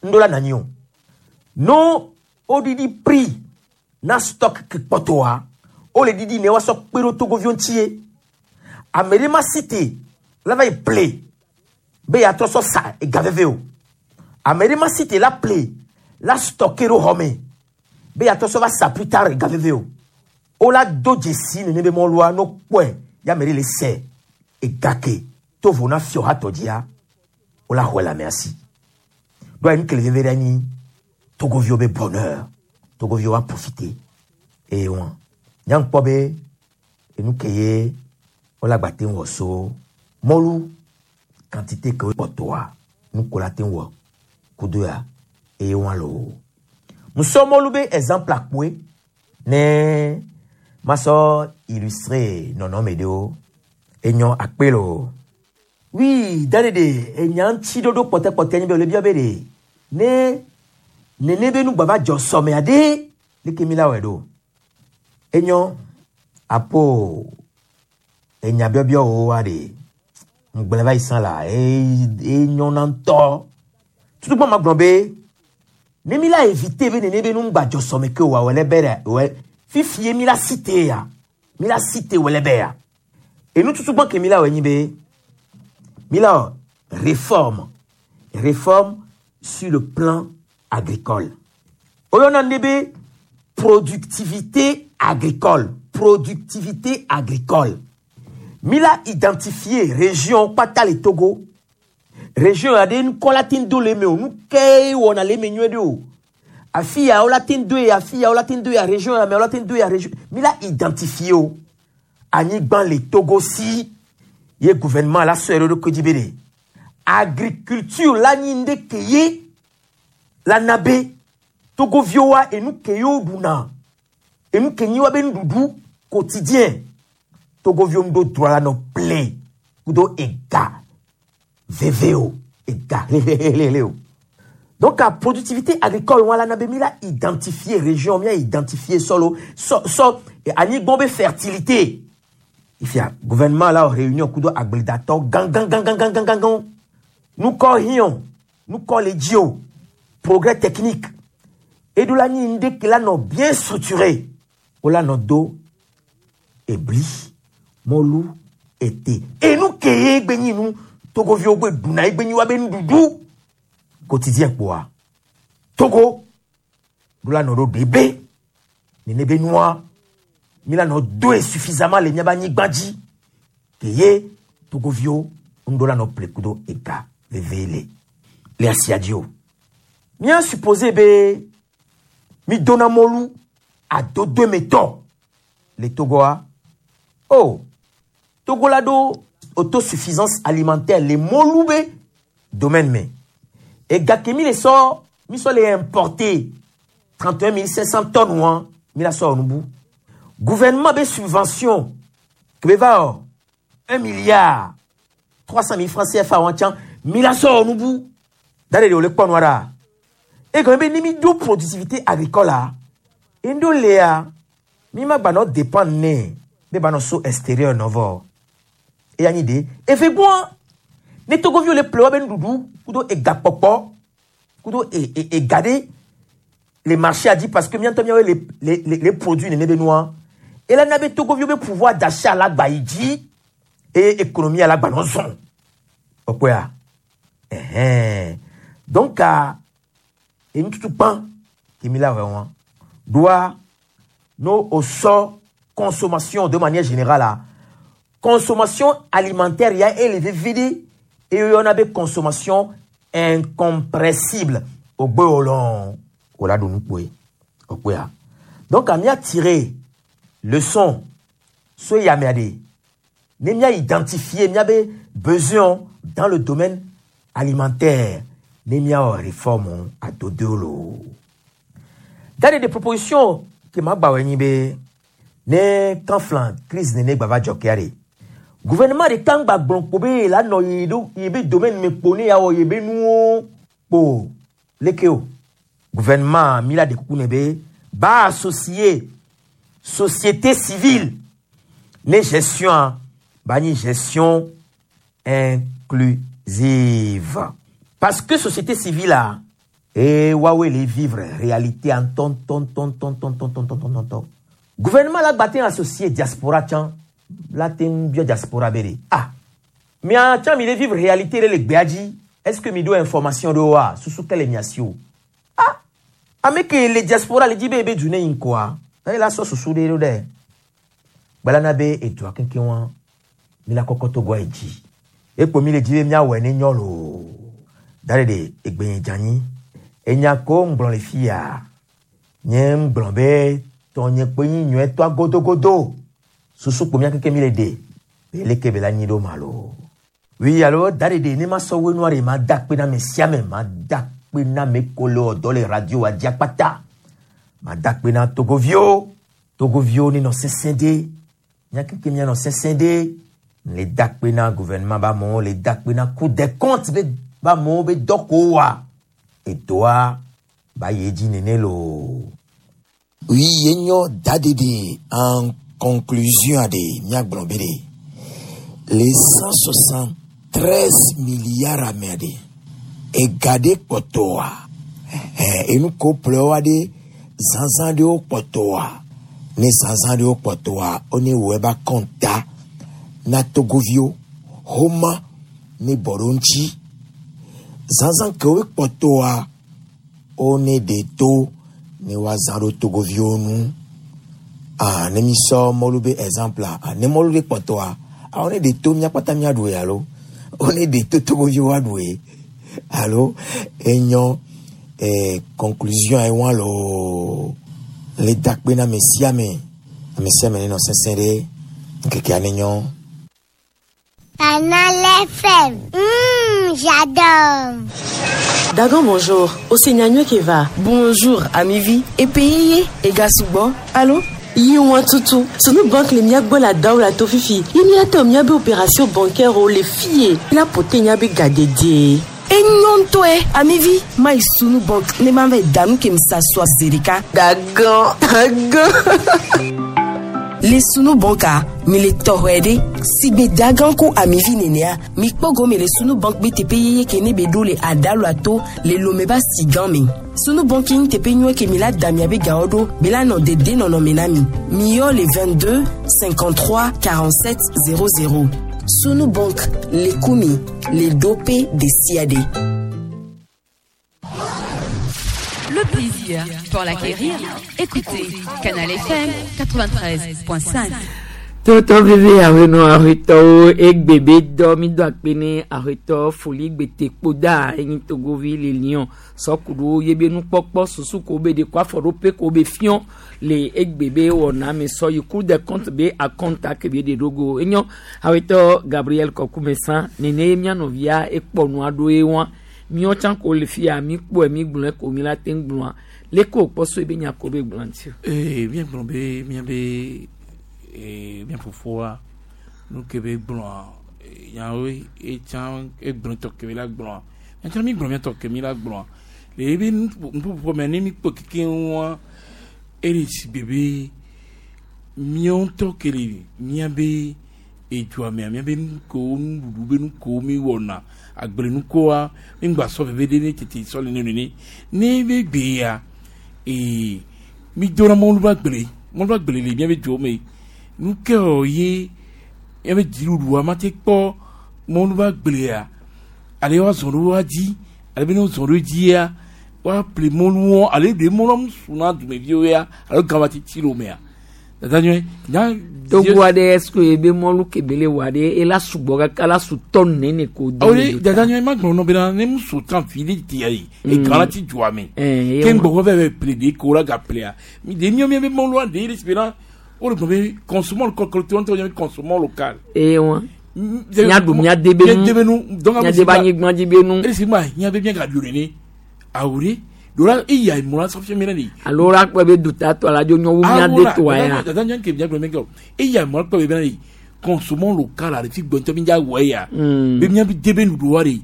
Speaker 13: ŋɖo la nanyi o no woɖiɖi prix na stock ke kpɔtɔa wole ɖiɖi ne woasɔ kpe ɖo togoviwo ŋutie ame ɖe ma si te la va yi ple be yeatrɔ sɔ sa ega veve o ame ɖe ma si te la ple la stocké ɖo xɔ me be yeatrɔ sɔ va sa plus tard ega veve o wola do dzesi nene be mɔlua no kpɔe ya ame ɖe le sɛ ega ke to vo na fiɔ hatɔ dzia wola xɔe le amea si ɖoa nu kele veve ɖe anyi togoviwo be bonheur togoviwo va profiter eye wɔn nyaŋkpɔ be enu ke ye wola gba te ŋu wɔ so mɔlu quantité ke kpɔtɔa nu ko la te ŋu wɔ kudo ya eye wɔn lo musɔ mɔlu be exemple akpoe ne masɔ illustrer nɔnɔme ɖewo enyɔ akpe lo oui daɖeɖe enya ŋuti ɖoɖo kpɔtɛkpɔtɛ nyi be wòle bia be ɖe ne nene be nu gbava dzɔ sɔmea ɖe leke mi la wɔe ɖo enyɔ apo enya biɔbiɔ wo wa ɖe ŋugblẽ va yi sã la enyɔna ŋutɔ tutukpɔ ma gblɔ be ne mi la éviter be nene be nu ŋgba dzɔ sɔme ke wa wòle be ɖe wɔ fifie mi la cité ya mi la cité wòle be ya enu tutukpɔ ke mi la wɔ nyi be mi la wɔ réforme réforme sur le plan agricole oyɔna ne be productivité agricole productivité agricole mi la identifier région kpata le Togo région aɖe ŋkɔ la te ŋu do le eme o nu ke wɔna le eme nyuie ɖe o afi ya wola te ŋu do ye afi ya wola te ŋu do ya région ya me wola te ŋu do ya région mi la identifier o anyigba le Togo si ye gouvernement la sɔe ɖe eɖokui dzi be ɖe agriculture la nyi ŋɖe ke ye la na be togoviwoa enu ke ye woɖuna enu ke nyi woabe nuɖuɖu quotidien togoviwo ŋu ɖo droit la nɔ ple kudo ega veve o ega lelelele o. Donc la productivité agricole wọn la na be mi la identifier région mi la identifier solo so so anyigba be fertilité. Ifia gouvernement la réunion kudo agbledatɔ gangangangangangangan nukɔ hiɔn nukɔ le dzi o progrès technique eɖo la nyi ŋɖe ke la nɔ bien structuré o la nɔ do ebli mɔlu ete enu ke ye gbe nyi nu togoviwo gbe ɖuna ye gbe nyi wa be nuɖuɖu quotidien kpoa Togo ɖo la nɔ ɖo ɖe be nene be nua mi la nɔ doe suffisamment le miabe anyigba dzi ke ye togoviwo ŋɖo la nɔ ple kudo ega veve le le asia dzi o. Mía supposé be mi dona mɔlu adodoe le Togoa. Oh, Togo la ɖo autosuffisance alimentaire le mɔlu be domaine me. Ega ke mi le sɔ mi sɔ le importer 31 500 tonnes wa mi la sɔ nubu. Gouvernement be subvention ke be va wɔ 1 milliard 300 000 francs CFA wa tsã mi la sɔ nubu. Da de wòle kpɔ nua ɖa. Egɔme be ni mi ɖo productivité agricole la, ŋɖo lea, mi ma gba nɔ dépendre nɛ be ba nɔ so extérieur nɔ vɔ. Eya nyi de efe gbɔa ne togoviwo le ple woabe nuɖuɖu kudo egakpɔkpɔ kudo e e ega ɖe le marché a dzi parce que míatɔ míawoe le le le le produit nene be nua. Ela na be togoviwo be pouvoir d'achat la gba yi dzi eye économie la gba nɔ zɔn. Okpɔa? Ɛhɛn. Donc ah, enututu kpã ke mi la wɔ wɔn. Doa no o sɔ consommation de manière générale la consommation alimentaire ya élevé vide et on be consommation incompressible ogbe olon ola do nukpoe okpea. Donc a mia tiré leçon so ya mia de ne mia identifier mia be besoin dans le domaine alimentaire ne mia wɔ réforme adodolo. Dade de proposition ke ma gba wɔ nyi be ne kanflan crise nene gba va dzɔ kea de gouvernement de kan gba gblɔ kpo be la nɔ yi ɖo yi be domaine me kpo ne ya wɔ yi be nuwo kpo leke o gouvernement mi la de kuku ne be ba associer société civile ne gestion ba nyi gestion inclusive parce que société civile a e wawe le vivre réalité en ton ton ton ton ton ton ton ton ton ton gouvernement la gba te associer diaspora tsã la te ŋu biɔ diaspora be de ah mia tsã mi le vivre réalité ɖe le gbea dzi est ce que mi ɖo information ɖewo wa susu ke le mia si o ah ame ke le diaspora le dzi be ebe du ne yi ŋkɔa eye la sɔ susu ɖe ɖo ɖe gbalana be edua kekeŋ wa mi la kɔkɔ to goa yi dzi ekpo mi le dzi be miawɔe ne nyɔ loo da ɖe ɖe egbe nye dze anyi enya ko ŋgblɔ le fia nye ŋgblɔ be tɔnye kpe nyi nyɔetɔa godogodo susu kpo mía keke mi le ɖe be leke be la nyi ɖo ma lo. Oui alo da ɖe ɖe ne ma sɔ woe nua ɖe ma da kpe na ame sia ame ma da kpe na ame ko le wɔ dɔ le radio wa dzi akpata ma da kpe na togoviwo togoviwo ne nɔ sesẽ ɖe mía keke mía nɔ sesẽ ɖe le da kpe na gouvernement ba amewo le da kpe na cour des comptes be ba amewo be dɔ ko wa edoa ba yi edzi nene loo.
Speaker 21: Oui, yenyo dadede en conclusion ade miagblɔ be ɖe le 173 milliards ame aɖe ega ɖe kpɔtɔa ɛhɛn enu ko ƒlewoa ɖe zazã ɖewo kpɔtɔa ne zazã ɖewo kpɔtɔa wone wɔ eba kɔnta na togoviwo homa ne bɔ ɖo ŋuti zazã kewo kpɔtɔa wone ɖe to ne woazã ɖo togoviwo nu ah ne mi sɔ mɔlu be exemple a ne mɔlu ɖe kpɔtɔa ah wone ɖe to mía kpata míaɖu alo wone ɖe to togoviwo aɖu ye alo enyɔ conclusion ye wa loo le dakpe na ame sia ame ame sia ame nenɔ sesẽ ɖe ŋkekea ne nyɔ.
Speaker 22: Canal FM. J'adore.
Speaker 23: Dagan bonjour, Osenyanywe Keva. Bonjour, Amivi. Epeyeye, Egasubo. Allô? Yiwa tutu. Sunu banque le miagbo la daw la tofifi. Ye miate miabe opération bancaire o le fier. La pote nyabe gadede. Enyo ŋutɔe amivi mayi sunu bank ne ma va yi da nu ke mi sa sɔa zi ɖeka. Gagã gagã. Le sunu banka mi le tɔxɔe ɖe sigbe dagã ku amivi nenea mi kpɔ gɔme le sunu bank be teƒe yeye ke ne be ɖo le adalu ato le lome ba si gã me. Sunu bank nye teƒe nyuie ke mi la da miabe gawo ɖo be la nɔ dede nɔnɔme na mi. Mi yɔ le 22 53 47 00. Sunu bank le kumi le ɖoƒe ɖe sia ɖe.
Speaker 1: Le plaisir pour l'acquérir, écoutez Canal FM 93.5.
Speaker 3: Tɔtɔ veve ahenɔ ahetɔwo egbe be dɔ mi do akpe ne ahetɔ foli gbete kpoda enyi togovi le lion sɔkuɖo yebe nukpɔkpɔ susu ko be de ko afɔɖoƒe ko be fiɔ le egbe be wɔna me sɔ yi cour des comptes be akɔnta ke be de ɖogo enyɔ ahetɔ Gabriel Kɔkumesa nene ye mia nɔvia ekpɔ nua ɖo ye wa miɔ tsã ko le fia mi kpɔe mi gblɔe ko mi la te ŋu gblɔa leke wòkpɔ so ebe nya ko be gblɔa ŋuti o.
Speaker 20: Ee, míagblɔ be míabe ee, mía fofoa nu ke be gblɔa ee, nyawoe etsã egblɔ tɔ ke be la gblɔa míatsã mi gblɔ míatɔ ke mi la gblɔa le ebe nuƒoƒo mea ne mi kpɔ keke ŋua ele sigbe be míawo ŋutɔ ke le míabe edua mea míabe nukewo nuɖuɖu be nukewo mi wɔna agblenukoa mi ŋgba sɔ veve ɖe ne tete sɔ le ne nene ne be gbe ya ee mi dona mɔlu ba gble mɔlu ba gble le míabe duwo me nu ke wɔ ye míabe dziɖuɖua ma te kpɔ mɔlu ba gblea ale woazɔ ɖo woa dzi ale be ne wozɔ ɖo dzia woaƒle mɔluwo ale ɖe mɔlua mu su na dumeviwo ya alo gã va titi le wo mea dada nyuie nya
Speaker 3: Togo aɖe est-ce que ebe mɔlu kebe le wɔ aɖe ela sugbɔ kaka la su tɔnu nene ko do
Speaker 20: awo
Speaker 3: le
Speaker 20: de
Speaker 3: do ta.
Speaker 20: dada nyuie ma gblɔ nɔ bena ne mu su tan fi de tia yi egã la ti dzoa me
Speaker 3: Eh,
Speaker 20: ke ŋgbɔ vɛ vɛ ple de ko la ga plea mi de miɔ miɔ be mɔlua de le si bena wo le gblɔ be consommons local kɔlɔtɔ ŋutɔ nye consommons local.
Speaker 3: Eye wa miaɖu miade be nu
Speaker 20: miade be nu donc
Speaker 3: miade be anyigba dzi be nu.
Speaker 20: esi ma hiã be miaga ɖu nene awo de do la eya mɔ la sɔ fia mi na de.
Speaker 3: Alo la kpɔ be dutatɔ la dzo nyɔ wu miade tɔa ya.
Speaker 20: dada nyɔnu ke miagblɔ mi kɛ o eya mɔ la kpɔ be bena de consommons local la ɖevi gbɔntɔ mi dza wɔ ya. Be miabe de be nuɖuɖua de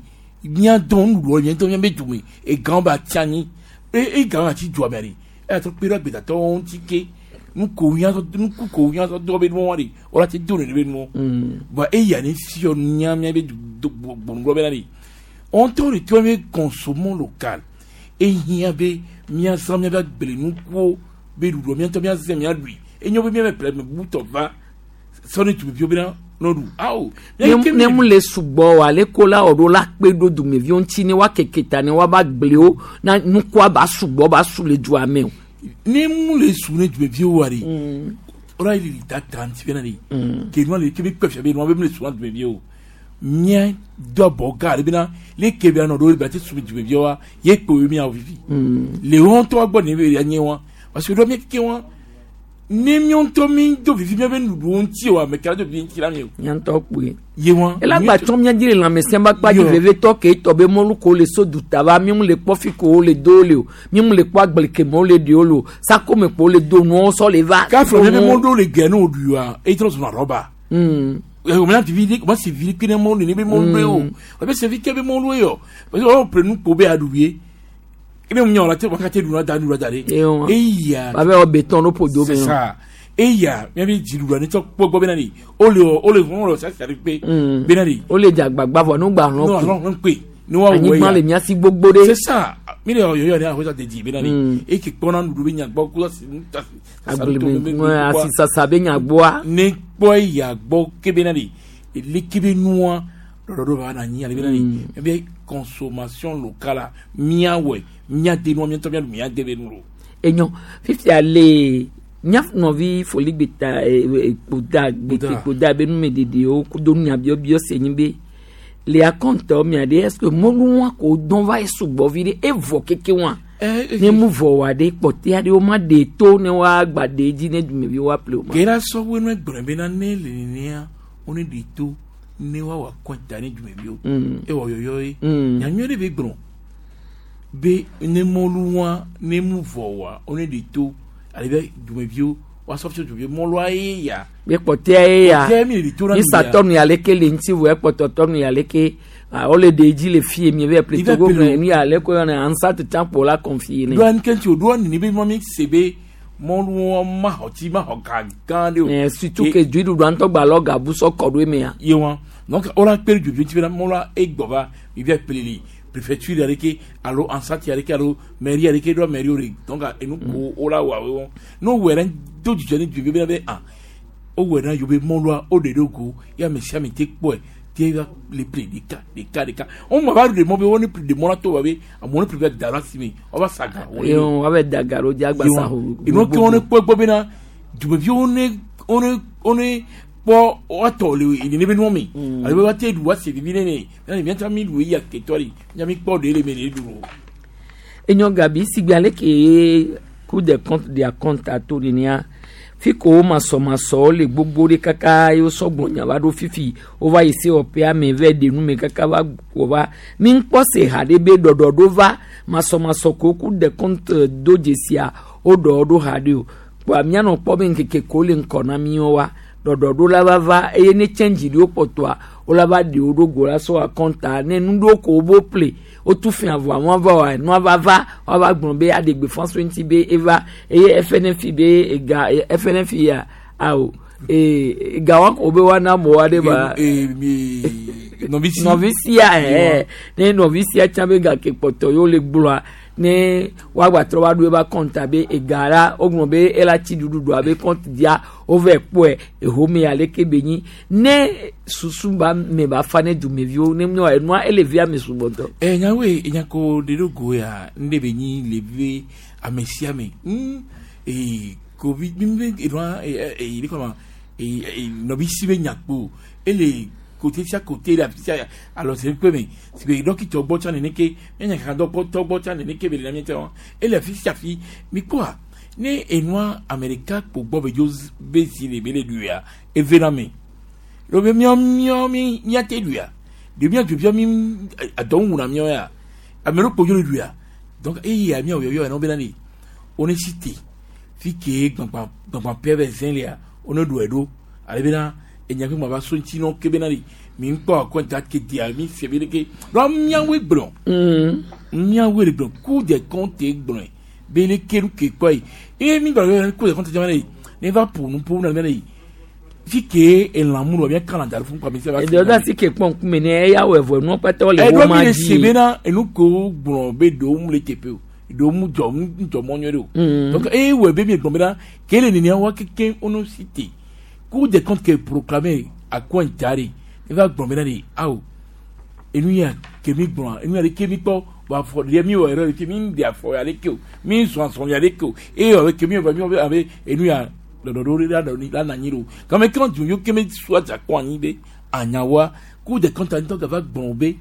Speaker 20: miadɔn nuɖuɖua miatɔ miabe dume egãwo ba tsi anyi e egãwo atsi dua mea de eya tɔ kpe ɖe agbetatɔwo ŋuti ke nuko miatɔ nuku ko miatɔ dɔ be nuwo de wala te do ne be nuwo. Bon eya ne fiɔ nya miabe du do gbɔnugbɔ bena de wɔntɔ de tɔ be consommons local ehiã be miazã miabe agblenukuwo be ɖuɖuɔ miatɔ miazẽ miaɖui enyo be miabe ple butɔ va sɔni tumeviwo bena n'oɖu awo.
Speaker 3: Ne mu le sugbɔ o ale ko la ɔɖo la kpe ɖo dumeviwo ŋuti ne woa keke ta ne woava gblewo na nukua ba sugbɔ ba su le dua me o.
Speaker 20: Ne mu le su ne dumeviwo wa de ɔlɔ yi le da ta ŋuti bena de ke nua le ke be kpɛ fia be nua be mu le su na dumeviwo mía do abɔ gã ale bena le ke bena nɔ ɖo be ate su dumeviwo wa ye kpe wo miawo vivi le wɔn ŋutɔ gbɔ ne be ya nye wa parce que ɖo mía keke wa ne míawo ŋutɔ mi do vivi míabe nuɖuɖuwo ŋuti o ame ka do vivi ŋuti la mi o.
Speaker 3: Mía ŋutɔ kpoe.
Speaker 20: Ye wa.
Speaker 3: Ela gba tsɔ mía dzi le lãmesẽ ba kpa dzi
Speaker 20: Yo.
Speaker 3: vevetɔ ke etɔ be mɔlu ko le so duta va mi mu le kpɔ fi ko le do le o mi mu le kpɔ agble ke me wo le ɖe wo le o sakome ko le do nuwo sɔ le va.
Speaker 20: Kafro míabe mɔ ɖewo le gɛ ne wo ɖui wa eyi trɔ zɔna rɔba. O mana vivi de o ma se vivi kpe ne mɔlu ne be mɔlu ye o o bɛ se vi ke be mɔlu ye o parce que o pre nu ko be aɖu ye ebe mu nya o la te o ka te ɖu na da nu la da de. Eya.
Speaker 3: Ba be wɔ béton ɖo ƒodo me.
Speaker 20: C'est ça. Eya míabe dziɖuɖua ne tsɔ kpɔ gbɔ bena de o le o le hɔn le sasi aɖe kpe bena de.
Speaker 3: O le dze agbagba vɔ nu gba hlɔ̃
Speaker 20: No hlɔ̃ kpe. Ne wa wɔ
Speaker 3: Anyigba
Speaker 20: ya.
Speaker 3: le mía si gbogbo ɖe.
Speaker 20: C'est ça. Mi le yɔyɔ ne ahoe dedi bena de. Eke kpɔna nuɖuɖu be nyagbɔ ko asi
Speaker 3: Agbleme asisasa be nyagbɔa.
Speaker 20: Ne kpɔ eya gbɔ ke bena de eleke be nua ɖɔɖɔɖo va na anyi ale bena de ebe consommation locale la míawɔe míade nua míatɔ míaɖu míade be nu lo.
Speaker 3: Enyo fifia le mía nɔvi foligbeta kpoda gbete kpoda be numeɖeɖewo kudo nyabiɔbiɔ se nyi be le akɔntɔ mia ɖe est ce que mɔlu wa ko dɔn va ye sugbɔ vi ɖe evɔ keke wa ne mu vɔ wa ɖe kpɔtɛa ɖe wo ma ɖe to ne wa gba ɖe dzi ne dumevi wa ƒle o ma.
Speaker 20: Ke la sɔwoe nu egblɔ bena ne le nenea wo ne ɖe to ne woawɔ akɔnta ne dumeviwo ewɔ yɔyɔ ye nyanyui ɖe be gblɔ be ne mɔlu wa ne mu vɔ wa wo ne ɖe to ale be dumeviwo woasɔ fia dumeviwo mɔlua ye ya.
Speaker 3: Be kpɔtɛa ye ya
Speaker 20: Kpɔtɛa mi le ɖe to na mi ya.
Speaker 3: nisatɔ nu ya leke le ŋuti vɔ ekpɔtɔtɔ nu ya leke Ah, wole ɖe dzi le fie mi be ple
Speaker 20: Ibe
Speaker 3: Togo
Speaker 20: ple
Speaker 3: me nu ya le ko yɔna ansat tsã kpo la confie ne.
Speaker 20: Ɖoa nke ŋuti o ɖoa nini be mɔ mi se be mɔluwo ma xɔ tsi ma xɔ ga gã ɖe o.
Speaker 3: Eh, surtout que dziɖuɖua ŋutɔ gba lɔ gabu sɔ kɔ ɖo emea.
Speaker 20: Ye wa donc wola kpe ɖe dzodzo ŋuti bena mɔlua egbɔ va mi via ple li préfecture aɖe ke alo ansati aɖe ke alo mairie aɖe ke ɖoa mairie wo ɖe donc enu ko wola wɔ awo wɔn ne wowɔe ɖe do dzidzɔ ne dzodzo bena be ah wowɔe na yewo be mɔlua woɖe ɖo go ye ame sia ame te kpɔe te va le ple ɖeka ɖeka ɖeka wɔn ma va ɖe mɔ be wɔn ne ple ɖe mɔ la to wa be amewo ne ple va da ɖe asi me wɔn va sa ga
Speaker 3: Ye wɔn va da ga ɖo dzi agba sa ho.
Speaker 20: Enu ke wɔn ne kpɔ egbɔ bena dumeviwo ne wɔn ne kpɔ woatɔ le nene be nua me alo be woate ɖu woase vivi ne ne bena miata mi ɖu eya ketɔ ɖi mia mi kpɔ ɖe le me le ɖu o.
Speaker 3: Enyo gabi sigbe ale ke Cour des comptes de akɔnta to nenea fi ko wo masɔmasɔwo le gbogbo ɖe kaka ye wosɔ gblɔ nya va ɖo fifi wova yi sewɔƒea me va ɖe nu me kaka va wɔ va mi ŋkpɔ se ha ɖe be ɖɔɖɔɖo va masɔmasɔ ko Cour des comptes do dzesia woɖɔ ɖo ha ɖe o kpoa mianɔ kpɔ be ŋkeke ko le ŋkɔ na miwo wa ɖɔɖɔɖo la va va eye ne tsɛndzi ɖewo kpɔtɔa wola va ɖe wo ɖo go la sɔ akɔnta ne nu ɖewo ko wobo ple wotu fia vɔa nua va wa nua va va woava gblɔ be aɖe gbeƒã so ŋuti be eva eye FNF be ega FNF ya awo ee ega wa ko be woana amewo aɖe ba
Speaker 20: nɔvisi
Speaker 3: nɔvisia ɛɛ ne nɔvisia tsã be gake kpɔtɔ yewo le gblɔa ne woagbatrɔ va ɖo eva kɔnta be ega la wogblɔ be ela tsi ɖuɖuɖua be kɔnti dzia wova kpɔe ehome aleke be nyi ne susu ba me ba fa ne dumeviwo ne nua enua ele via me sugbɔtɔ.
Speaker 20: Ɛ nyawoe enya ko ɖe ɖo go ya ŋɖe be nyi le vi ame sia ame ee kovi mi be enua ee ee ɖe kɔma ee ee nɔvisi be nyakpo ele kote sia kote le afi sia alɔ se kpe me si be dɔkitɔ gbɔ tsã nene ke míanya kaka dɔkpɔtɔ gbɔ tsã nene ke be le na mía tsã ele afi sia afi mi kpɔa ne enua ame ɖeka kpo gbɔ be dzo be zi le be le ɖuia eve na me lo be míɔ míɔ mi míate ɖuia ɖe mía dzovia mi adɔ ŋu na míɔ ya ame ɖe kpo dzo le ɖuia donc eya míawɔ yɔyɔ yɛn bena ne wo ne si te fi ke gbagba gbagba pɛ bɛ zɛn lia wo ne ɖu ɛɖo ale bena enya kpe ma va so ŋuti nɔ ke bena ne mi ŋkpɔ akɔnta ke dia mi se be ɖeke lɔ míawoe gblɔ míawoe le gblɔ Cour des comptes gblɔe be ne ke nu ke kpɔ yi eye mi gblɔ be Cour des comptes jama ne ne va ƒo nu ƒo na bena yi fi ke elãmu lɔ mía kan da ɖe fún kpami se va.
Speaker 3: Eɖewo da si ke kpɔ ŋkume ne eya wɔ evɔ nua kpata wole
Speaker 20: Ɛɖo
Speaker 3: wo
Speaker 20: mi
Speaker 3: ma
Speaker 20: le se
Speaker 3: dzi.
Speaker 20: bena enu ko gblɔ be ɖewo mu le teƒe o ɖewo mu dzɔ mu dzɔ mɔ nyuie ɖe o. Donc eye wɔ be mi gblɔ bena ke le nenia wa keke wono si te Cour des comptes ke proclamé akɔnta de eva gblɔ bena de awo enu ya ke mi gblɔ enu ya de ke mi kpɔ wa fɔ ɖe mi wɔ erreur ke mi de afɔ ya de ke o mi zɔn azɔn ya de ke o eye wɔ ke mi wɔ mi wɔ abe enu ya ɖɔɖɔɖo ɖe la ɖɔ la na anyi ɖo game ke du yo ke mi sua dza kɔ anyi be anyawoa Cour des comptes ŋutɔ gava gblɔ be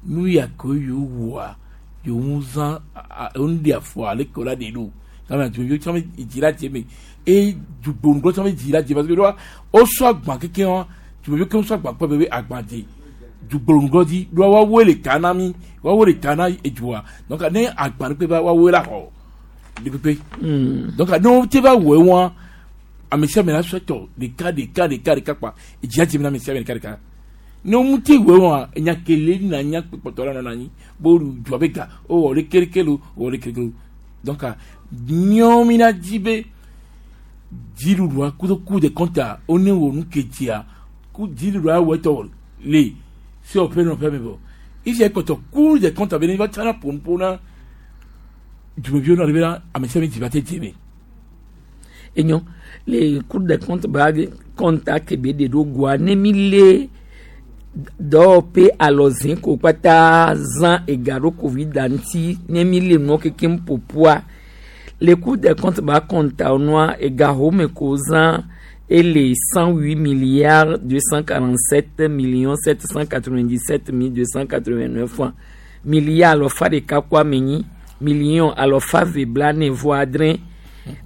Speaker 20: nu ya ko yewo wɔa yewo ŋu zã enu de afɔ ale ke o la de ɖo game du yo tsã be dzi la dze me eye dugbonugbɔ tsã be dzi la dze parce que ɖoa wosɔ agba keke wa dumeviwo ke wosɔ agba kpɔ be agba dze dugbonugbɔ dzi ɖoa woawoe le ta na mi woawoe le ta na edua donc ne agba ɖe kpe va woawoe la xɔ ɖe kpekpe donc ne wo te va wɔe wa ame sia ame la sɔ tɔ ɖeka ɖeka ɖeka ɖeka kpa edzi la dze na ame sia ame ɖeka ɖeka ne wo ŋuti wɔe wa enya kele na nya kpɔtɔ la nɔna anyi bo dua be ga wowɔ ɖe kelekele o wowɔ ɖe kelekele o donc míawo mi na dzi be dziɖuɖua kudo Cour des comptes wo ne wɔ nu ke dzia ku dziɖuɖua wɔ etɔ le sewɔƒe nɔƒe me vɔ ifia kpɔtɔ Cour des comptes be ne va tsana ƒonuƒo na dumeviwo na ɖe bena ame sia ame dzi va te dze me.
Speaker 3: Enyo le Cour des comptes ba kɔnta ke be ɖe ɖo goa ne mi le dɔwɔƒe alɔzẽ ko kpata zã ega ɖo covid ŋuti ne mi le nuɔ kekem ƒoƒua le Cour des comptes ba kɔnta nua ega home ko zã ele 108 247 797 289 francs milliard alɔfa ɖeka kó ame nyi million alɔfa ve bla ne vɔ adrẽ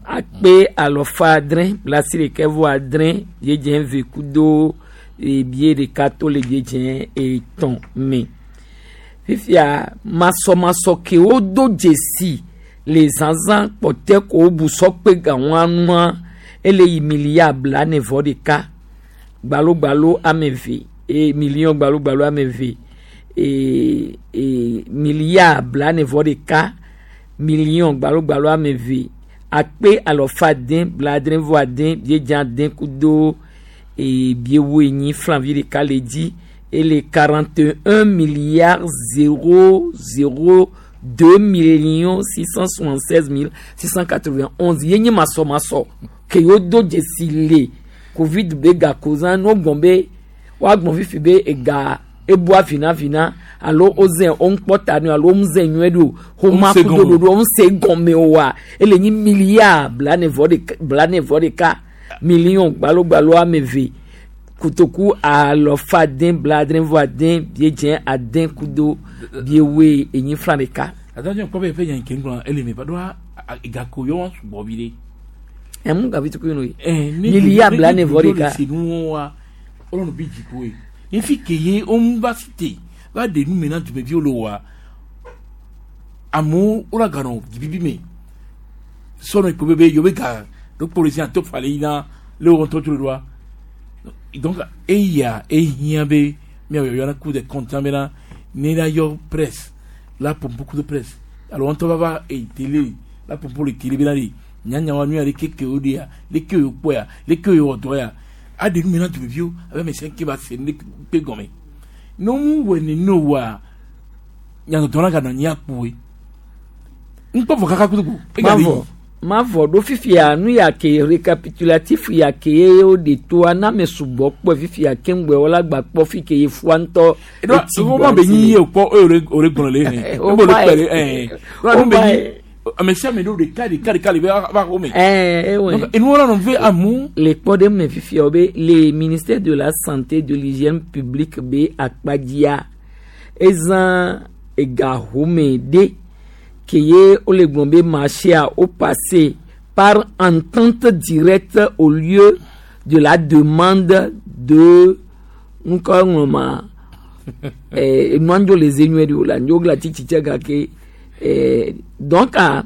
Speaker 3: akpe alɔfa adrẽ blasi ɖeka vɔ adrẽ biedze ve kudo ebie ɖeka to le biedze etɔ̃ me fifia masɔmasɔ kewo do dzesi le zazã kpɔtɛ ko wobu sɔkpe gawoa nua ele yi milliard bla ne vɔ ɖeka gbalogbalo ame eve e million gbalogbalo ame eve. e, e, milliard blane vɔ ɖeka million gbalogbalo ame eve akpe alɔfa ade blaadre vɔ ade biedze ade kudo e, biewo enyi flanvi ɖeka le dzi ele 41 milliard 0 0 2 millions 676 mille 691 ye nye masɔmasɔ ke yewo do dzesi le covid be gakozã ne wogbɔn be woagbɔn fifi be ega ebua vinavina alo woze woŋkpɔ ta nɛ alo woŋze nyuie ɖo xoma
Speaker 20: Womse
Speaker 3: kudo
Speaker 20: gɔme o.
Speaker 3: ɖoɖo woŋse gɔme oa ele nyi milliard blane vɔ ɖeka blane vɔ ɖeka million gbalogbalo ame eve kotoku alɔfa ade blaadre vɔ ade biedze ade kudo biewoe enyi flan ɖeka.
Speaker 20: Adájọ́ nǹkan bẹ́ẹ̀ fẹ́ yàn kí n gbọ́n ẹlẹ́mì bá dọ́wọ́ ìgàkó yọ wọn sùgbọ́ bi de.
Speaker 3: Ɛmu gavi tukui nu yi.
Speaker 20: Ní
Speaker 3: Milliard blane vɔ ɖeka.
Speaker 20: senu wọn wa Ọlọ́run bí jìkó ye ní fi kèye ó ń bá sí tè bá dé nu mi náà tùmẹ̀ bí ó lò wá àmọ́ ó rà gànà jìbí mi sọ̀nà ìpò bẹ́ẹ̀ yóò bẹ́ gà ló kpọ̀rọ̀ sí àtọ́ falẹ̀ yìí náà léwọ́n tọ́jú ló wa donc eya ehiã be miawɔ yɔna ku de kɔntàn bena ne la yɔ presse la pompo ku de presse alo wɔn tɔ va va e télé la pompo le télé bena de nyanyawa nu ya leke ke o de ya leke o kpɔ ya leke o wɔ dɔ ya aɖe nu mi na dumeviwo abe ame sia ke ba se ne kpe gɔme ne wo wɔ ne ne wa nyadɔdɔ la ganɔ nyi akpoe ŋkpɔ vɔ kaka kutuku
Speaker 3: mavɔ mavɔ ɖo fifia nu ya ke récapitulatif ya ke ye wo de toa na ame sugbɔ kpɔ fifia ke ŋgbɛ wɔla gba kpɔ fi ke ye fua ŋutɔ.
Speaker 20: Eɖo wo ma be nyi ye o kpɔ eye o le gblɔ le hɛn o le kpɛ le ɛn o be nyi ame sia ame ɖo ɖeka ɖeka ɖeka le va xɔ me.
Speaker 3: Ɛɛ
Speaker 20: enu wɔna nɔ ve amu.
Speaker 3: Le kpɔ ɖe me fifia wo be le ministère de la santé de l'hygiène publique be akpadzia ezã ega home ɖe ke ye wole gblɔm be marché a wo passé par entente directe au lieu de la demande de ŋkɔ ŋlɔma eh, enua ŋdzo le ze nyuie ɖe o la ŋdzo gla tsitsi gake eh, donc ah,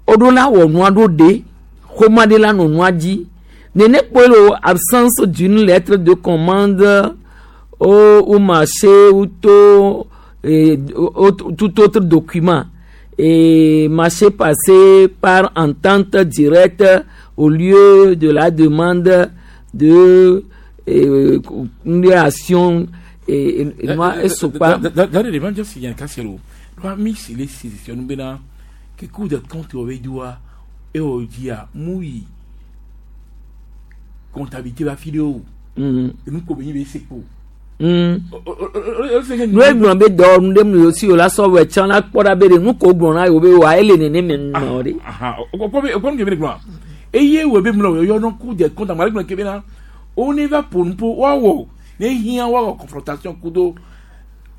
Speaker 3: woɖo la wɔ nua ɖo ɖe xɔma ɖe la nɔ nua dzi nene kpɔe le absence d'une lettre de commande au, au marché ou to et, au, tout autre document et marché passé par entente directe au lieu de la demande de une action et, et, moi esokpa
Speaker 20: Dare de ban jɔsi yan kasi lo ɖo mi si le sisi nu bena ke coup de compte wo be doa ewɔ dzia mu yi comptabilité ba fi de o enu ko be nyi be se kpo.
Speaker 3: Nu egblɔ be dɔwɔnu ɖe mu si o la sɔ wɔ tsã la kpɔ ɖa be ɖe nu ko gblɔ na yewo be wa ele nene me nɔ ɖe.
Speaker 20: Okpɔ be okpɔ nu ke be ne gblɔa eye wo be mlɔ yɔ nɔ coup de compte amale gblɔ ke bena wo ne va ƒo nu ƒo woawɔ ne hiã woawɔ confrontation kudo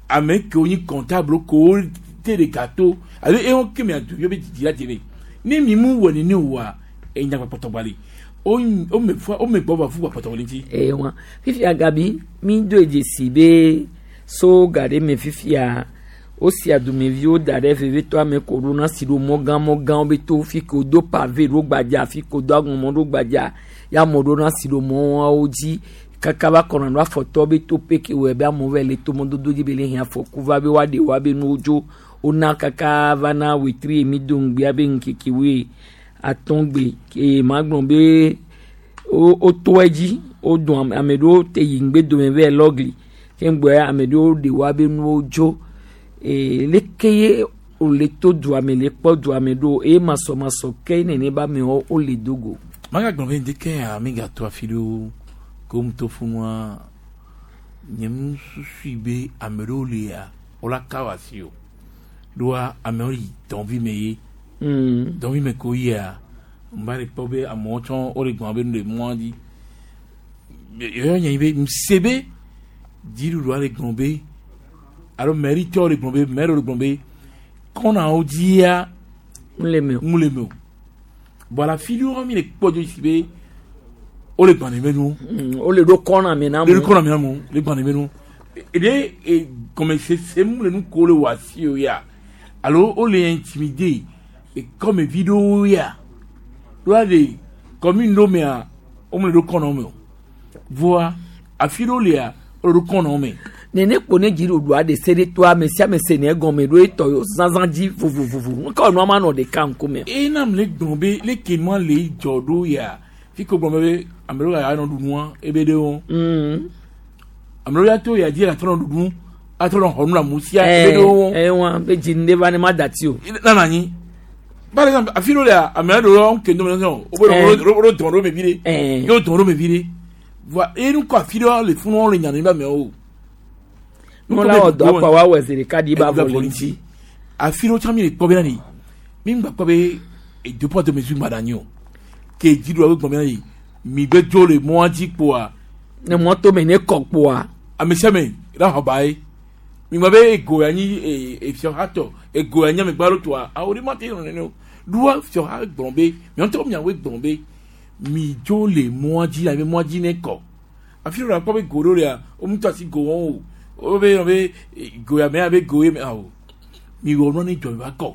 Speaker 20: ame kewo nyi comptable ko te ɖeka to alo ewo ke mia du yɔ be dzidzi la dze ne mi mu wɔ nene oa enya kpɔtɔ gbali o me fua o me gbɔ va fu kpɔtɔ wòle ŋuti.
Speaker 3: Eye wa fifia gabi mi do dzesi be so ga ɖe me fifia wosia dumeviwo da ɖe vevitɔ ame ko ɖo na si ɖo mɔgã mɔgãwo be to fi ke wodo pavé ɖo gbadza fi ke wodo aŋɔmɔ ɖo gbadza ya amewo ɖo na si ɖo mɔwo dzi kaka va kɔnɔ ɖo afɔtɔ be to pe ke wɔe be amewo va le to mɔdodo dzi be le hiã afɔku va be woaɖe woabe nuwo dzo wona kaka va na wetri emi do ŋgbea be ŋkeke woe atɔ̃gbe ke ma gblɔ be wo woto edzi wodɔn ame ame ɖewo te yi ŋgbe dome va lɔgli ke ŋgbɛ ame ɖewo ɖe woabe nuwo dzo ee leke ye wòle to dua me le kpɔ dua me ɖo eye masɔmasɔ ke nene be amewo wole do go.
Speaker 20: Magagblɔ be ŋdeke ya mi gato afi ɖewo ke wo ŋutɔ funua nye nususui be ame ɖewo lia wola ka wo asi o ɖoa amewo yi dɔnvi me ye dɔnvi me ko yia n ba le kpɔ be amewo tsɔ wole gbɔn be nu le mɔa dzi yɔyɔ nye be ŋse be dziɖuɖua le gblɔ be alo mɛritɔwo le gblɔ be mɛriwo le gblɔ be kɔnawo dzia
Speaker 3: ŋu le me o
Speaker 20: ŋu le me o bɔn afi ɖewo mi le kpɔ dzo si be wole gbɔn ɖe nu.
Speaker 3: Wole ɖo kɔna me na
Speaker 20: mo. Le ɖo kɔna me na mo le gbɔn ɖe nu eɖe e gɔmesese mu le nu ko le wɔ asi o ya alo wole intimidé kɔmevi ɖewo ya ɖoa de commune ɖewo mea wome le ɖo kɔna me o voa afi ɖewo lia wole ɖo kɔna me.
Speaker 3: Nene kpo ne dziɖuɖua ɖe se ɖe toa ame sia ame se ne egɔme ɖo etɔ yo zazã dzi vovovovo. Ŋkɔ nua ma nɔ ɖeka ŋkume.
Speaker 20: Ena le gblɔ be leke nua le dzɔ ɖo ya fi ko gblɔ be ame ɖewo ya nɔ ɖu nua ebe ɖewo. Ame ɖewo ya to ya dzi ya trɔ nɔ ɖuɖu atrɔ nɔ xɔ nu le amewo sia ebe ɖewo.
Speaker 3: Ɛ wa be dzi ŋɖe va ne ma dati o.
Speaker 20: Nana anyi. Par exemple afi ɖewo lea ame ɖewo ke ŋdɔ me sɔn wo be wo ɖo dɔn ɖo me vi ɖe. Ye wo dɔn ɖo me vi ɖe. Voa eye nu kɔ afi ɖewo le funu le nya ne be amewo.
Speaker 3: Nunɔla wɔ dɔ akpa wa wɔ zi ɖeka ɖi ba vɔ le ŋuti.
Speaker 20: Afi ɖewo tsã mi le kpɔ bena ɖi mi ŋgba kpɔ be deux poids deux mesures ŋgba ɖe anyi o. Ke dziɖuɖua be gblɔ bena ɖi mi gbe dzo le mɔa dzi kpoa.
Speaker 3: Ne mɔ to me ne kɔ kpoa.
Speaker 20: Ame sia ame la xɔ ba ye. Mi gblɔ be ego ya nyi efiɔha tɔ ego ya nyi amegbalo tɔa awo ɖe ma te nɔ nene o. Ɖoa fiɔha gblɔ be miɔntɔ miawoe gblɔ be mi dzo le mɔa dzi la be mɔa dzi ne kɔ. Afi ɖe la kpɔ be go ɖewo lia wo ŋutɔ asi go wɔm o. Wo be yɔ be go ya me abe go ye me awo. Mi wɔ nua ne dzɔ mi va kɔ.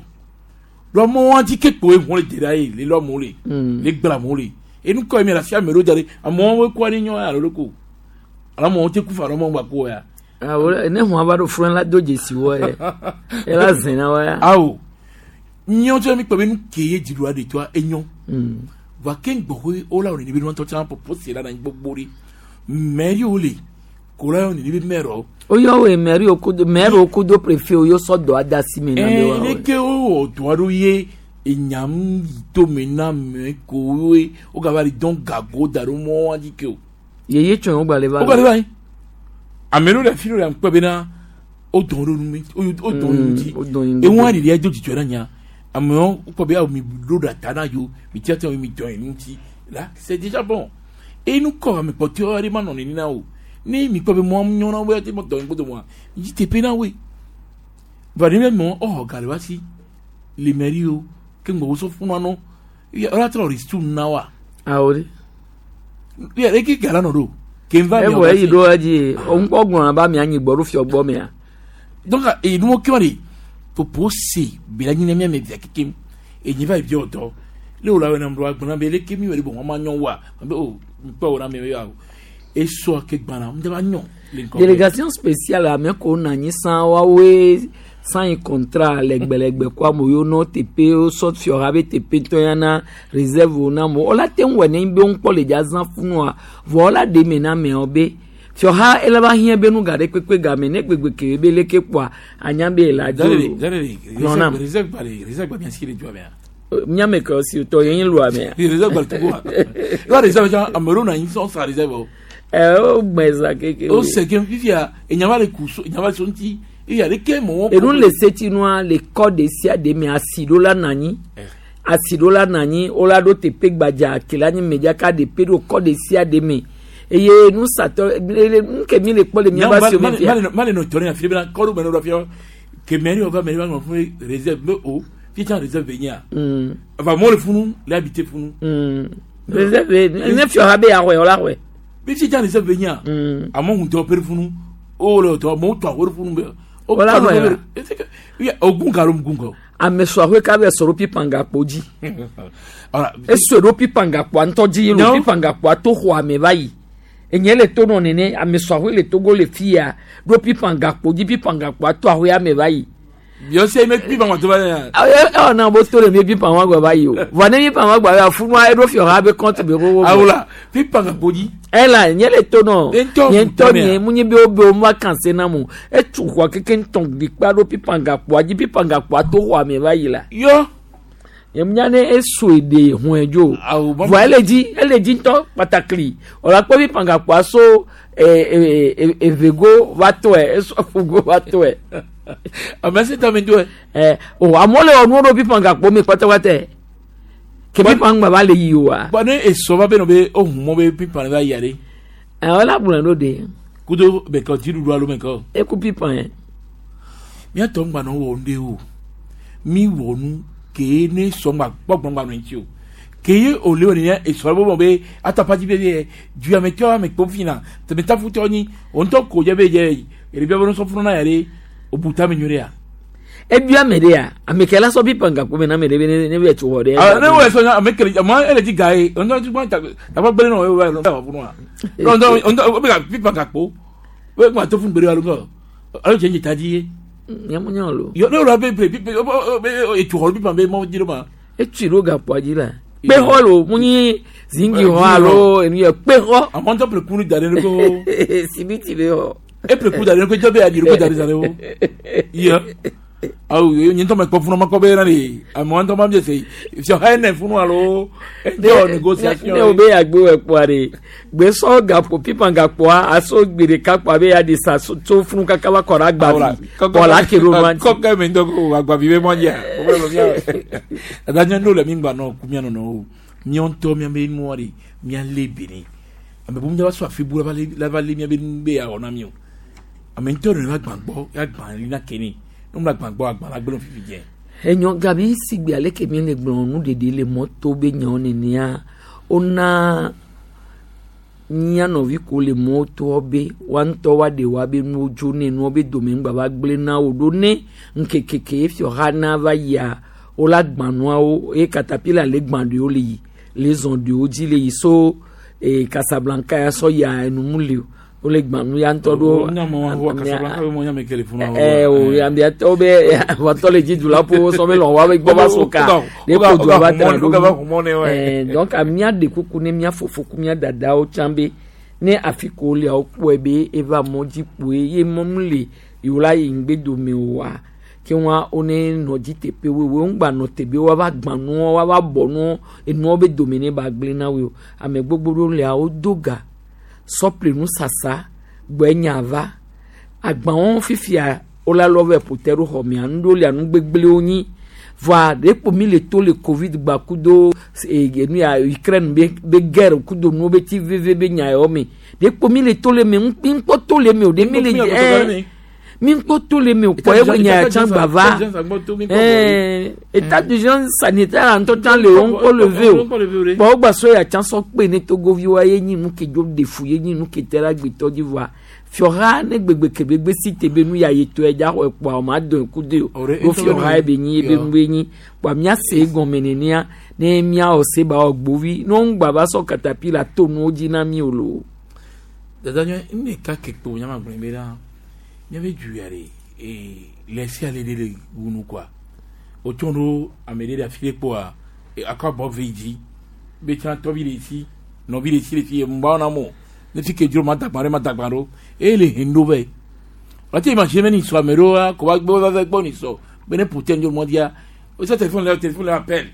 Speaker 20: Ɖoa mɔa dzi ke kpoe ʋu le de ɖa ye le lɔ amewo le. Le gblẽ amewo le. Enu kɔ ye mi le afi ame ɖewo da ɖe amewo wo kɔa ne nyɔ alo ɖe ko. Alo amewo te ku fa alo amewo gba ko ya.
Speaker 3: Awo ne ʋua va ɖo funu la do dzesi wɔ ye. Ela zẽ na wa ya.
Speaker 20: Awo. Nyɔ tsɔ mi kpɔ be nu ke ye dziɖuɖua ɖe toa enyo. Voa ke ŋgbɔxɔe wola wɔ nene be nuwɔtɔ tsã popo se la na anyi gbogbo ɖe. Mɛ yiwo le ko la yɔ nene be mɛrɔ.
Speaker 3: Woyɔ woe mɛri wo kudo mɛri wo kudo préfet wo yɔ sɔ dɔ ada si me na be wa
Speaker 20: Ɛɛ
Speaker 3: wɔ.
Speaker 20: leke wowɔ dɔ aɖewo ye enyam yi tome na mɛ ko woe wogava le dɔn gago da ɖo mɔ dzi ke o.
Speaker 3: Yeye tsɔ wo gba le va.
Speaker 20: Wogba le va yi. Ame ɖewo le afi ɖewo le ŋkpɛ bena wodɔn ɖo nu me wodɔn nu ŋuti. Eŋua ɖeɖia do dzidzɔ na nya. Amewo wokpɔ be awo mi ɖo ɖa ta na yewo mi tia tia mi dɔn nu ŋuti la c'est déjà bon. Eye nu kɔ ame kpɔtɔewo aɖe ma nɔ nene na o. Ne mi kpɔ be mɔ nyɔ na wo ate mɔ dɔn gbɔdɔ mɔa mi dzi teƒe na woe. Vɔ ne mɔ exɔ ga le wa si le mairie o ke ŋgbɔ wosɔ funu anɔ ɔla trɔ ristu na wa.
Speaker 3: Awo de.
Speaker 20: Ya eke ga la nɔ ɖo. Ke ŋva
Speaker 3: Evɔ eyi ɖo edzi ŋkpɔ gblɔna ba mia nyi gbɔ ɖo fiɔ gbɔ mea.
Speaker 20: Donc eyi nuwo ke wa de popo se bela nyi ne mia me via kekem enyi va yi wɔ dɔ le wo la wɔ na mlɔ agblɔ na be leke mi wɔ ɖe bɔn wɔn ma nyɔ wa be o ŋkpɔ wɔ na mi ya o esɔ ke gbana ŋdɛ va nyɔ le ŋkɔ.
Speaker 3: Délégation spéciale ame ko na anyi san woawoe sign contrat lɛgbɛlɛgbɛ ko amewo yiwo nɔ teƒe wosɔ fiɔha be teƒe ŋutɔ ya na réserve wo na amewo wola te ŋu wɔ ne be ŋkpɔ le dza zã funua vɔ wola ɖe eme na ameawo be fiɔha ele va hiã be nu ga ɖe kpekpe game ne gbegbe ke be leke kpoa anya be le adzo Gblɔ nam.
Speaker 20: Réserve gba le réserve gba mia si le dua mea.
Speaker 3: Miame ke si tɔ ye nyi lua mea.
Speaker 20: Réserve gba le togo wa. Lɔ réserve tsã ame ɖewo nɔ anyi sɔn sa réserve o.
Speaker 3: Ɛ wo gbɛ za keke.
Speaker 20: O se ke fifia enyama le ku so enyama le so ŋuti eye aleke mɔ.
Speaker 3: Enu le setinua le kɔ ɖe sia ɖe me asi ɖo la nɔ anyi asi ɖo la nɔ anyi wola ɖo teƒe gbadza ke la nyi medzaka ɖe pe ɖo kɔ ɖe sia ɖe me eye nusatɔ nu ke mi le kpɔ le miaba si me fia.
Speaker 20: Male nɔ tɔ ne afi bena kɔɖo me nɔ ɖo afia ke mairie va mairie va ŋlɔ fún réserve be o fi tsã réserve be nyia. Ava mɔ le funu le habité funu.
Speaker 3: Réserve ne fiɔ ha be yaxɔe wola xɔe.
Speaker 20: Bi fi tsã réserve be nyia. Amewo ŋutɔ pe funu o le tɔ amewo tɔ awo funu be.
Speaker 3: Wola xɔe la.
Speaker 20: Ogun ka ló gun kɔ.
Speaker 3: Ame sɔ ahoe ka bɛ sɔrɔ pipangakpo dzi. Esɔ ɖo pipangakpoa ŋutɔ dzi lo pipangakpoa to xɔa me va yi. Enye le to nɔ nene ame sɔ ahoe le Togo le fia ɖo pipangakpo dzi pipangakpoa to ahoea me va yi.
Speaker 20: Biɔse me pipangakpo to va yi.
Speaker 3: Ɛ ɛ na bo to le mi pipangakpo va yi o. Vɔ ne pipangakpo va funua eɖo fiɔ ha be compte be xoxo.
Speaker 20: Awola pipangakpo dzi.
Speaker 3: Ela nye le to nɔ. Nye ŋutɔ nye mu nye be wo be wo ma kan se na mo. Etu xɔa keke ŋutɔ ɖikpa ɖo pipangakpoa dzi pipangakpoa to xɔa me va yi la.
Speaker 20: Yɔ.
Speaker 3: Nye ne esoe de hɔn dzo. Vɔ ele dzi ele dzi ŋutɔ kpatakli. Wòle akpɔ pipangakpoa so evego va tɔe eso aƒugo va tɔe.
Speaker 20: Ame si tame do.
Speaker 3: Ɛ o amewo le wɔ nuwo ɖo pipangakpo me kpatakpata. Ke pipangba va le yi oa.
Speaker 20: Bɔn ne esɔ va be nɔ be ohun mɔ be pipan va yia ɖe.
Speaker 3: Ɛ wala gblɔe ɖo de.
Speaker 20: Kudo bɛkɔ dziɖuɖu alo mɛkɔ.
Speaker 3: Eku pipan yɛ.
Speaker 20: Miatɔ ŋgba nɔ wɔ nu ɖe o. Mi wɔ nu ke ne sɔ ŋgba gbɔgbɔ ŋgba nɔ ŋuti o. Ke ye o le wɔ nene esɔ bɔ be atapatsi be ye duametɔ ame kpɔ fina tɛmɛtafutɔ nyi o ŋutɔ ko dze be dze eɖebia be nusɔfunu na ya ɖe o bu tame nyuie ɖe ya.
Speaker 3: Ebia ame ɖe ya ame ke la sɔ pipangakpo me na ame ɖe be ne be tso xɔ ɖe.
Speaker 20: Ne wo sɔ ame kele ame ele dzi ga ye ŋutɔ dzi gbɔn tagba gblẽ nɔ ye wo va funu wa. Ŋutɔ ŋutɔ be ka pipangakpo. Wo gba to fún gbèrè alugọ. Alo jẹ́ njẹ́ tají ye.
Speaker 3: Nyɛ nyɛ lo.
Speaker 20: Yɔ ne wòle abe ple pipe etu xɔ pipa be mɔ dzi ɖo ma.
Speaker 3: Etui ɖo gakpoa dzi la. Kpexɔ lo mu nyi zingi xɔ alo enu yɛ kpexɔ.
Speaker 20: Àmọ́ ntọ́ ple kunu da ɖe ko.
Speaker 3: Simiti be xɔ.
Speaker 20: E ple ku da ɖe ko jɔ be aɖi ko da ɖe da ɖe wo. Yɔ. Awo nye ŋutɔ me kpɔ funu ma kpɔ be na de àmọ́ ŋutɔ ma mi se fiɔ ha ene funu alo ede négociation.
Speaker 3: Ne o be yagbe wɔ kpoa de gbesɔ gakpo pipa gakpoa aso gbe ɖeka kpoa be ya de sa tso funu kaka va kɔ ɖe agbavi kɔ la ke ɖo nua dzi.
Speaker 20: Kɔkɛ mi ŋutɔ ko agbavi be mɔ dzia. Dada nye ŋɖo le mi gba nɔ ku mia nɔnɔ o. Míawo ŋutɔ míabe nua de míalé be ne. Ame bubu va so afi bu la va lé míabe nu be yeawɔ na mi o. Ame ŋutɔ ɖe va gbã gbɔ ya gbã li na ke ne. Ne mo la gbã gbɔ agbã la gblẽ fifi dze.
Speaker 3: Enyɔ gabi sigbe ale ke mi le gblɔ nu ɖeɖe le mɔto be nyawo nenea wona mía nɔvi ko le mɔtoa be woa ŋutɔ woaɖe woabe nuwo dzo ne nuwo be dome ŋgba va gblẽ na wo ɖo ne ŋkeke ke fiɔha na va yia wola gbã nuawo eye katapila le gbã ɖewo le yi le zɔn ɖewo dzi le yi so Casablanca ya sɔ yia enumu le o wole gbã nu ya ŋutɔ ɖo. O ambiatɔwo be wɔtɔ le dzidula ƒo sɔ be lɔn woabe gbɔ va so ka ne ko dua va tena ɖo nu donc mía ɖe kuku ne mía fofo ku mía dadawo tsã be ne afi ko wolia wokpɔe be eva mɔ dzi kpoe ye mɔmu le yewo la yi ŋgbe dome oa ke wa wone nɔ dzi teƒe woe wo ŋgba nɔ te be woava gbã nuwo woava bɔ nuwo enuwo be dome ne ba gblẽ na woe o ame gbogbo ɖewo lia wodo ga sɔple nusasa gbɔe nya va agbawo fifia wola lɔ vɛ ƒote ɖo xɔmea nuɖewo lia nu gbegblẽwo nyi voa ɖe kpo mi le to le covid gba kudo nu ya Ukraine be guerre kudo nuwo be ti veve be nya yawo me ɖe kpo mi le to le me mi ŋkpɔ to le me o ɖe mi le mi ŋkpɔ to le me o kpɔ ewe nya ya tsã gba va état d'urgence sanitaire ŋutɔ tsã le wo ŋkpɔ le ve o kpɔ wo gba sɔ ya tsã sɔ kpe ne togoviwoa ye nyi nu ke dzo ɖe fu ye nyi nu ke te ɖe agbetɔ dzi voa fiɔha ne gbegbe ke gbegbe si te be nu ya ye tɔe dza xɔ kpoa o ma dɔn ku de o o fiɔha ye be nyi ye be nu be nyi kpoa mía se gɔme nenea ne mía wɔ se ba wɔ gbovi ne wo ŋgba va sɔ katapila to nuwo dzi na mi o lo.
Speaker 20: Dada nye ne ka ke kpo nyama gblẽ be la míabe du ya ɖe le sia le ɖe le wunu kɔa wotsɔ ɖo ame ɖe ɖe afi ɖe kpoa akɔ abɔ ve dzi be tsã tɔvi le si nɔvi le si le fi ŋgba na mo ne fi ke dzro ma dagba ɖe ma dagba ɖo eye le hen ɖo vɛ wate imagine be ni sɔ ame ɖewoa ko va gbɔ va va gbɔ ni sɔ be ne ƒote ŋdzo mɔ dzia o sɔ téléphone le téléphone le appel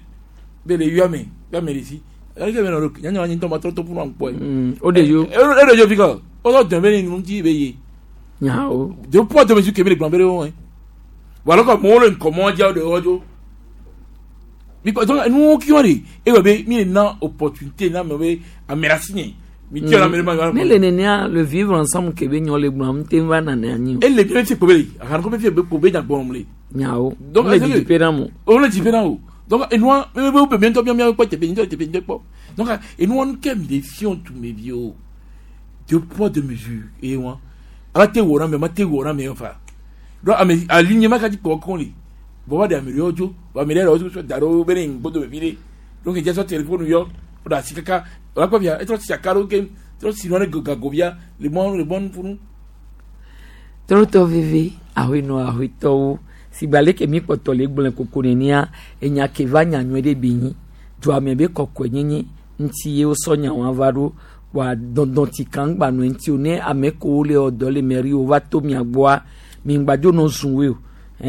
Speaker 20: be le yɔ ame yɔ ame le si aleke be nɔ ɖo nyanya anyi ŋutɔ ma trɔ to ƒu na ŋkpɔe.
Speaker 3: O de yo.
Speaker 20: E de yo fi kɔ o sɔ dɔn be ni nu ŋuti be ye.
Speaker 3: Nyawo.
Speaker 20: De poids de mesure kebe le gblɔ be ɖe wo wala kɔ mɔwo le ŋkɔmɔ dzia wo de wɔ dzo. Mi kɔ donc nuwo kí wọ́n de ewɔ be mi na opportunité na me be ame la si nye mi tí ame ma.
Speaker 3: Ne le nenea le vivre ensemble ke be nyɔ le gblɔ am te va nane anyi o.
Speaker 20: Ele bi fi kpobe le ahan ko be fi be kpobe nya gbɔm le.
Speaker 3: Nyawo.
Speaker 20: Donc
Speaker 3: le didi pe na mo.
Speaker 20: O le didi pe na o. Donc enua me be be ŋutɔ mía kpɔ teƒe ŋutɔ teƒe ŋutɔ kpɔ. Donc enua nu ke mi le fiɔ tu me vi o. Deux poids deux mesures eye wa. Ala te wɔ na me ma te wɔ na me fa. Donc ame alignement ka dzi kpɔ kɔn le. Bon wa de ame ɖewo dzo. Wa ame ɖe ɖewo da ɖo be ne ŋgbodo me vi ɖe. Donc edze sɔ téléphone yɔ. O da asi kaka. O la kpɔ via etrɔ si aka ɖo ke trɔ si nua ɖe gago via le mɔ le mɔ funu.
Speaker 3: Trɔtɔ veve ahoenɔ ahoetɔwo sigbe ale ke mi kpɔtɔ le gblẽ koko nenea enya ke va nya nyuie ɖe be nyi duame be kɔkɔe nyenye ŋuti ye wosɔ nya wa va ɖo kpoa dɔdɔti kan gba nɔ ŋuti o ne ame kewo le wɔ dɔ le mairie wo va to mia gbɔa mi ŋgba dzo nɔ zun woe o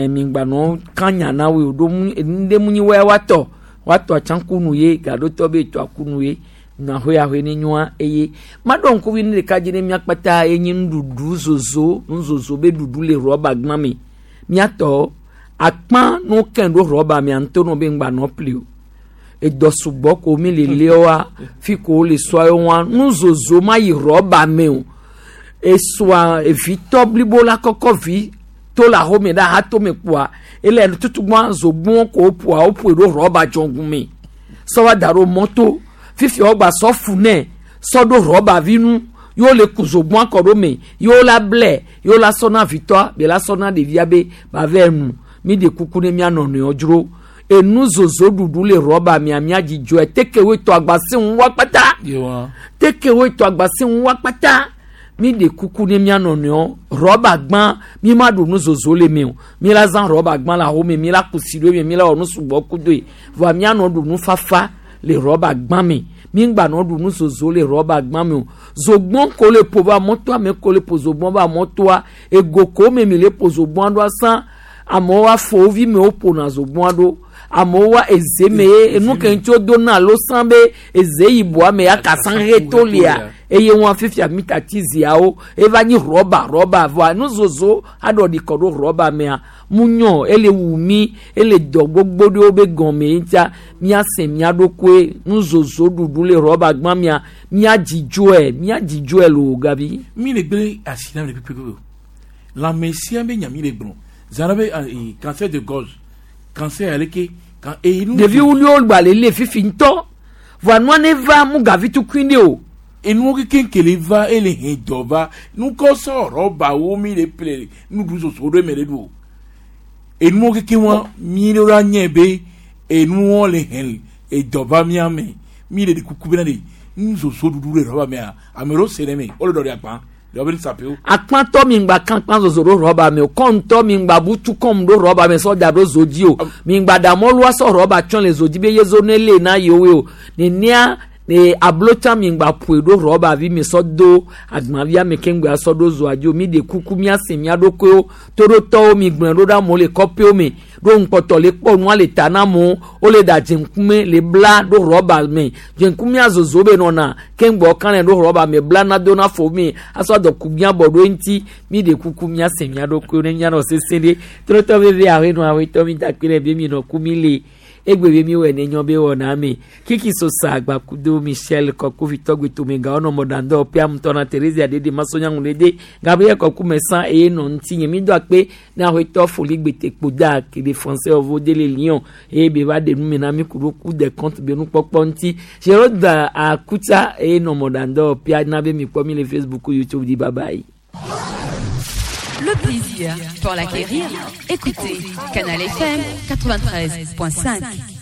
Speaker 3: mi ŋgba nɔ kan nya na woe o ɖo mu enu ɖe mu nyi woya woatɔ woatɔ atsãkunu ye gaɖotɔ be etɔ akunu ye nahoe ahoe ne nyoa eye maɖɔ ŋkuvi ne ɖeka dzi ne mía kpata ye nye nuɖuɖu zozo nuzozo be ɖuɖu le rɔba gbã me míatɔ akpã no kɛn ɖo rɔba mea ŋutɔ nɔ be ŋgba nɔ pli o edɔ sugbɔ ko mi le leoa fi ko le sɔa wa nuzozo ma yi rɔba me o esɔa evitɔ blibo la kɔkɔ vi to le axome ɖe aha to me kpoa ele tutugbɔn zogbɔn ko ƒoa woƒoe ɖo rɔba dzɔŋgu me sɔ va da ɖo mɔto fifi wogba sɔ fu nɛ sɔ ɖo rɔba vi nu yewo le ku zogbɔn kɔ ɖo me yewo la blɛ yewo la sɔ na vitɔa be la sɔ na ɖevia be ba vɛ nu mi de kuku ne mia nɔnɔewo dzro enu zozo ɖuɖu le rɔba mia mia dzidzɔe tekewoe tɔ agbasi ŋu wa kpata tekewoe tɔ agbasi ŋu wa kpata Mi ɖe kuku ne mía nɔnɔewo rɔba gbã mi ma ɖu nu zozo le me o mi la zã rɔba gbã le ahome mi la kusi ɖo eme mi la wɔ nu sugbɔ kudoe vɔa mianɔ ɖu nu fafa le rɔba gbã me mi ŋgba nɔ ɖu nu zozo le rɔba gbã me o zogbɔn ko le ƒo va mɔtoa me ko le ƒo zogbɔn va mɔtoa ego ko me mi le ƒo zogbɔn ɖoa sã amewo afɔ vi me woƒona zogbɔn ɖo amewo wa eze me ye enu ke ŋuti wodo na alo sã be eze yibɔa me ya kasa ɣe to lia eye wọn fifia mita ti ziawo eva nyi rɔba rɔba vɔa nuzozo aɖɔ ɖi kɔ ɖo rɔba mea mu nyɔ ele wu mi ele dɔ gbogbo ɖewo be gɔme ŋutia miase mia ɖokoe nuzozo ɖuɖu le rɔba gbã mia mia dzidzɔe mia dzidzɔe loo gabi.
Speaker 20: Mi le gbe asi na le pepepebe o lãmesia be nya mi le gblɔ zã be cancer de gorge cancer aleke kan eyi nu.
Speaker 3: Ɖevi wuliwo gba le le fifi ŋutɔ vɔa nua ne va mu gavi tukui ɖe o.
Speaker 20: Enuwo kekeŋ le va ele hɛn dɔ va nukɔsɔ rɔbawo mi le ple nuɖu soso ɖo eme le ɖu o enuwo kekeŋ wa mi ɖo la nye be enuwo le hɛn edɔ va mía me mi le ɖe kuku bena de nusoso ɖuɖu le rɔba mea ame ɖewo se ɖe me wole ɖɔ ɖe akpa ɖewo be nusapewo.
Speaker 3: Akpãtɔ mi ŋgba kan kpã zozo ɖo rɔba me o kɔŋtɔ mi ŋgba butu kɔm ɖo rɔba me sɔ da ɖo zo dzi o mi ŋgba da mɔlua sɔ rɔba tsɔ le zo dzi be yezo ne le na yewoe o nenea ne ablotsa mi ŋgba ƒoe ɖo rɔba vi mi sɔ do agbavia me ke ŋgba sɔ ɖo zoa dzi o mi ɖe kuku miase mia ɖokuiwo toɖotɔwo mi gblẽ ɖo ɖe amewo le kɔƒewo me ɖo ŋkpɔtɔ le kpɔ nua le ta na amewo wole ɖa dzeŋkume le bla ɖo rɔba me dzeŋkumea zozo be nɔna ke ŋgbɔ kan le ɖo rɔba me bla na do na fo mi asɔ dɔku mia bɔ ɖo eŋuti mi ɖe kuku miase mia ɖokuiwo ne mianɔ sese ɖe trɔtɔ veve ahenɔ awetɔ mi da kpe ɖe be mi nɔ ku mi le egbe be mi wɔ ne nyɔ be wɔna me kiki sosa agbakudo michel kɔkuvi tɔgbi tomegawo nɔ mɔɖandɔ piamutɔ na teresia dede masonyaŋu dede gabriel kɔku mɛsan eye nɔ ŋuti nye mi do akpe ne awetɔ foli gbete kpoda kele français ɔvo de le lion eye be va ɖe nu me na mi ku ɖo ku de compte be nukpɔkpɔ ŋuti gérald akutsa eye nɔ mɔɖandɔ pia na be mi kpɔ mi le facebook youtube di bye bye.
Speaker 1: Le plaisir pour l'acquérir, écoutez Canal FM 93.5.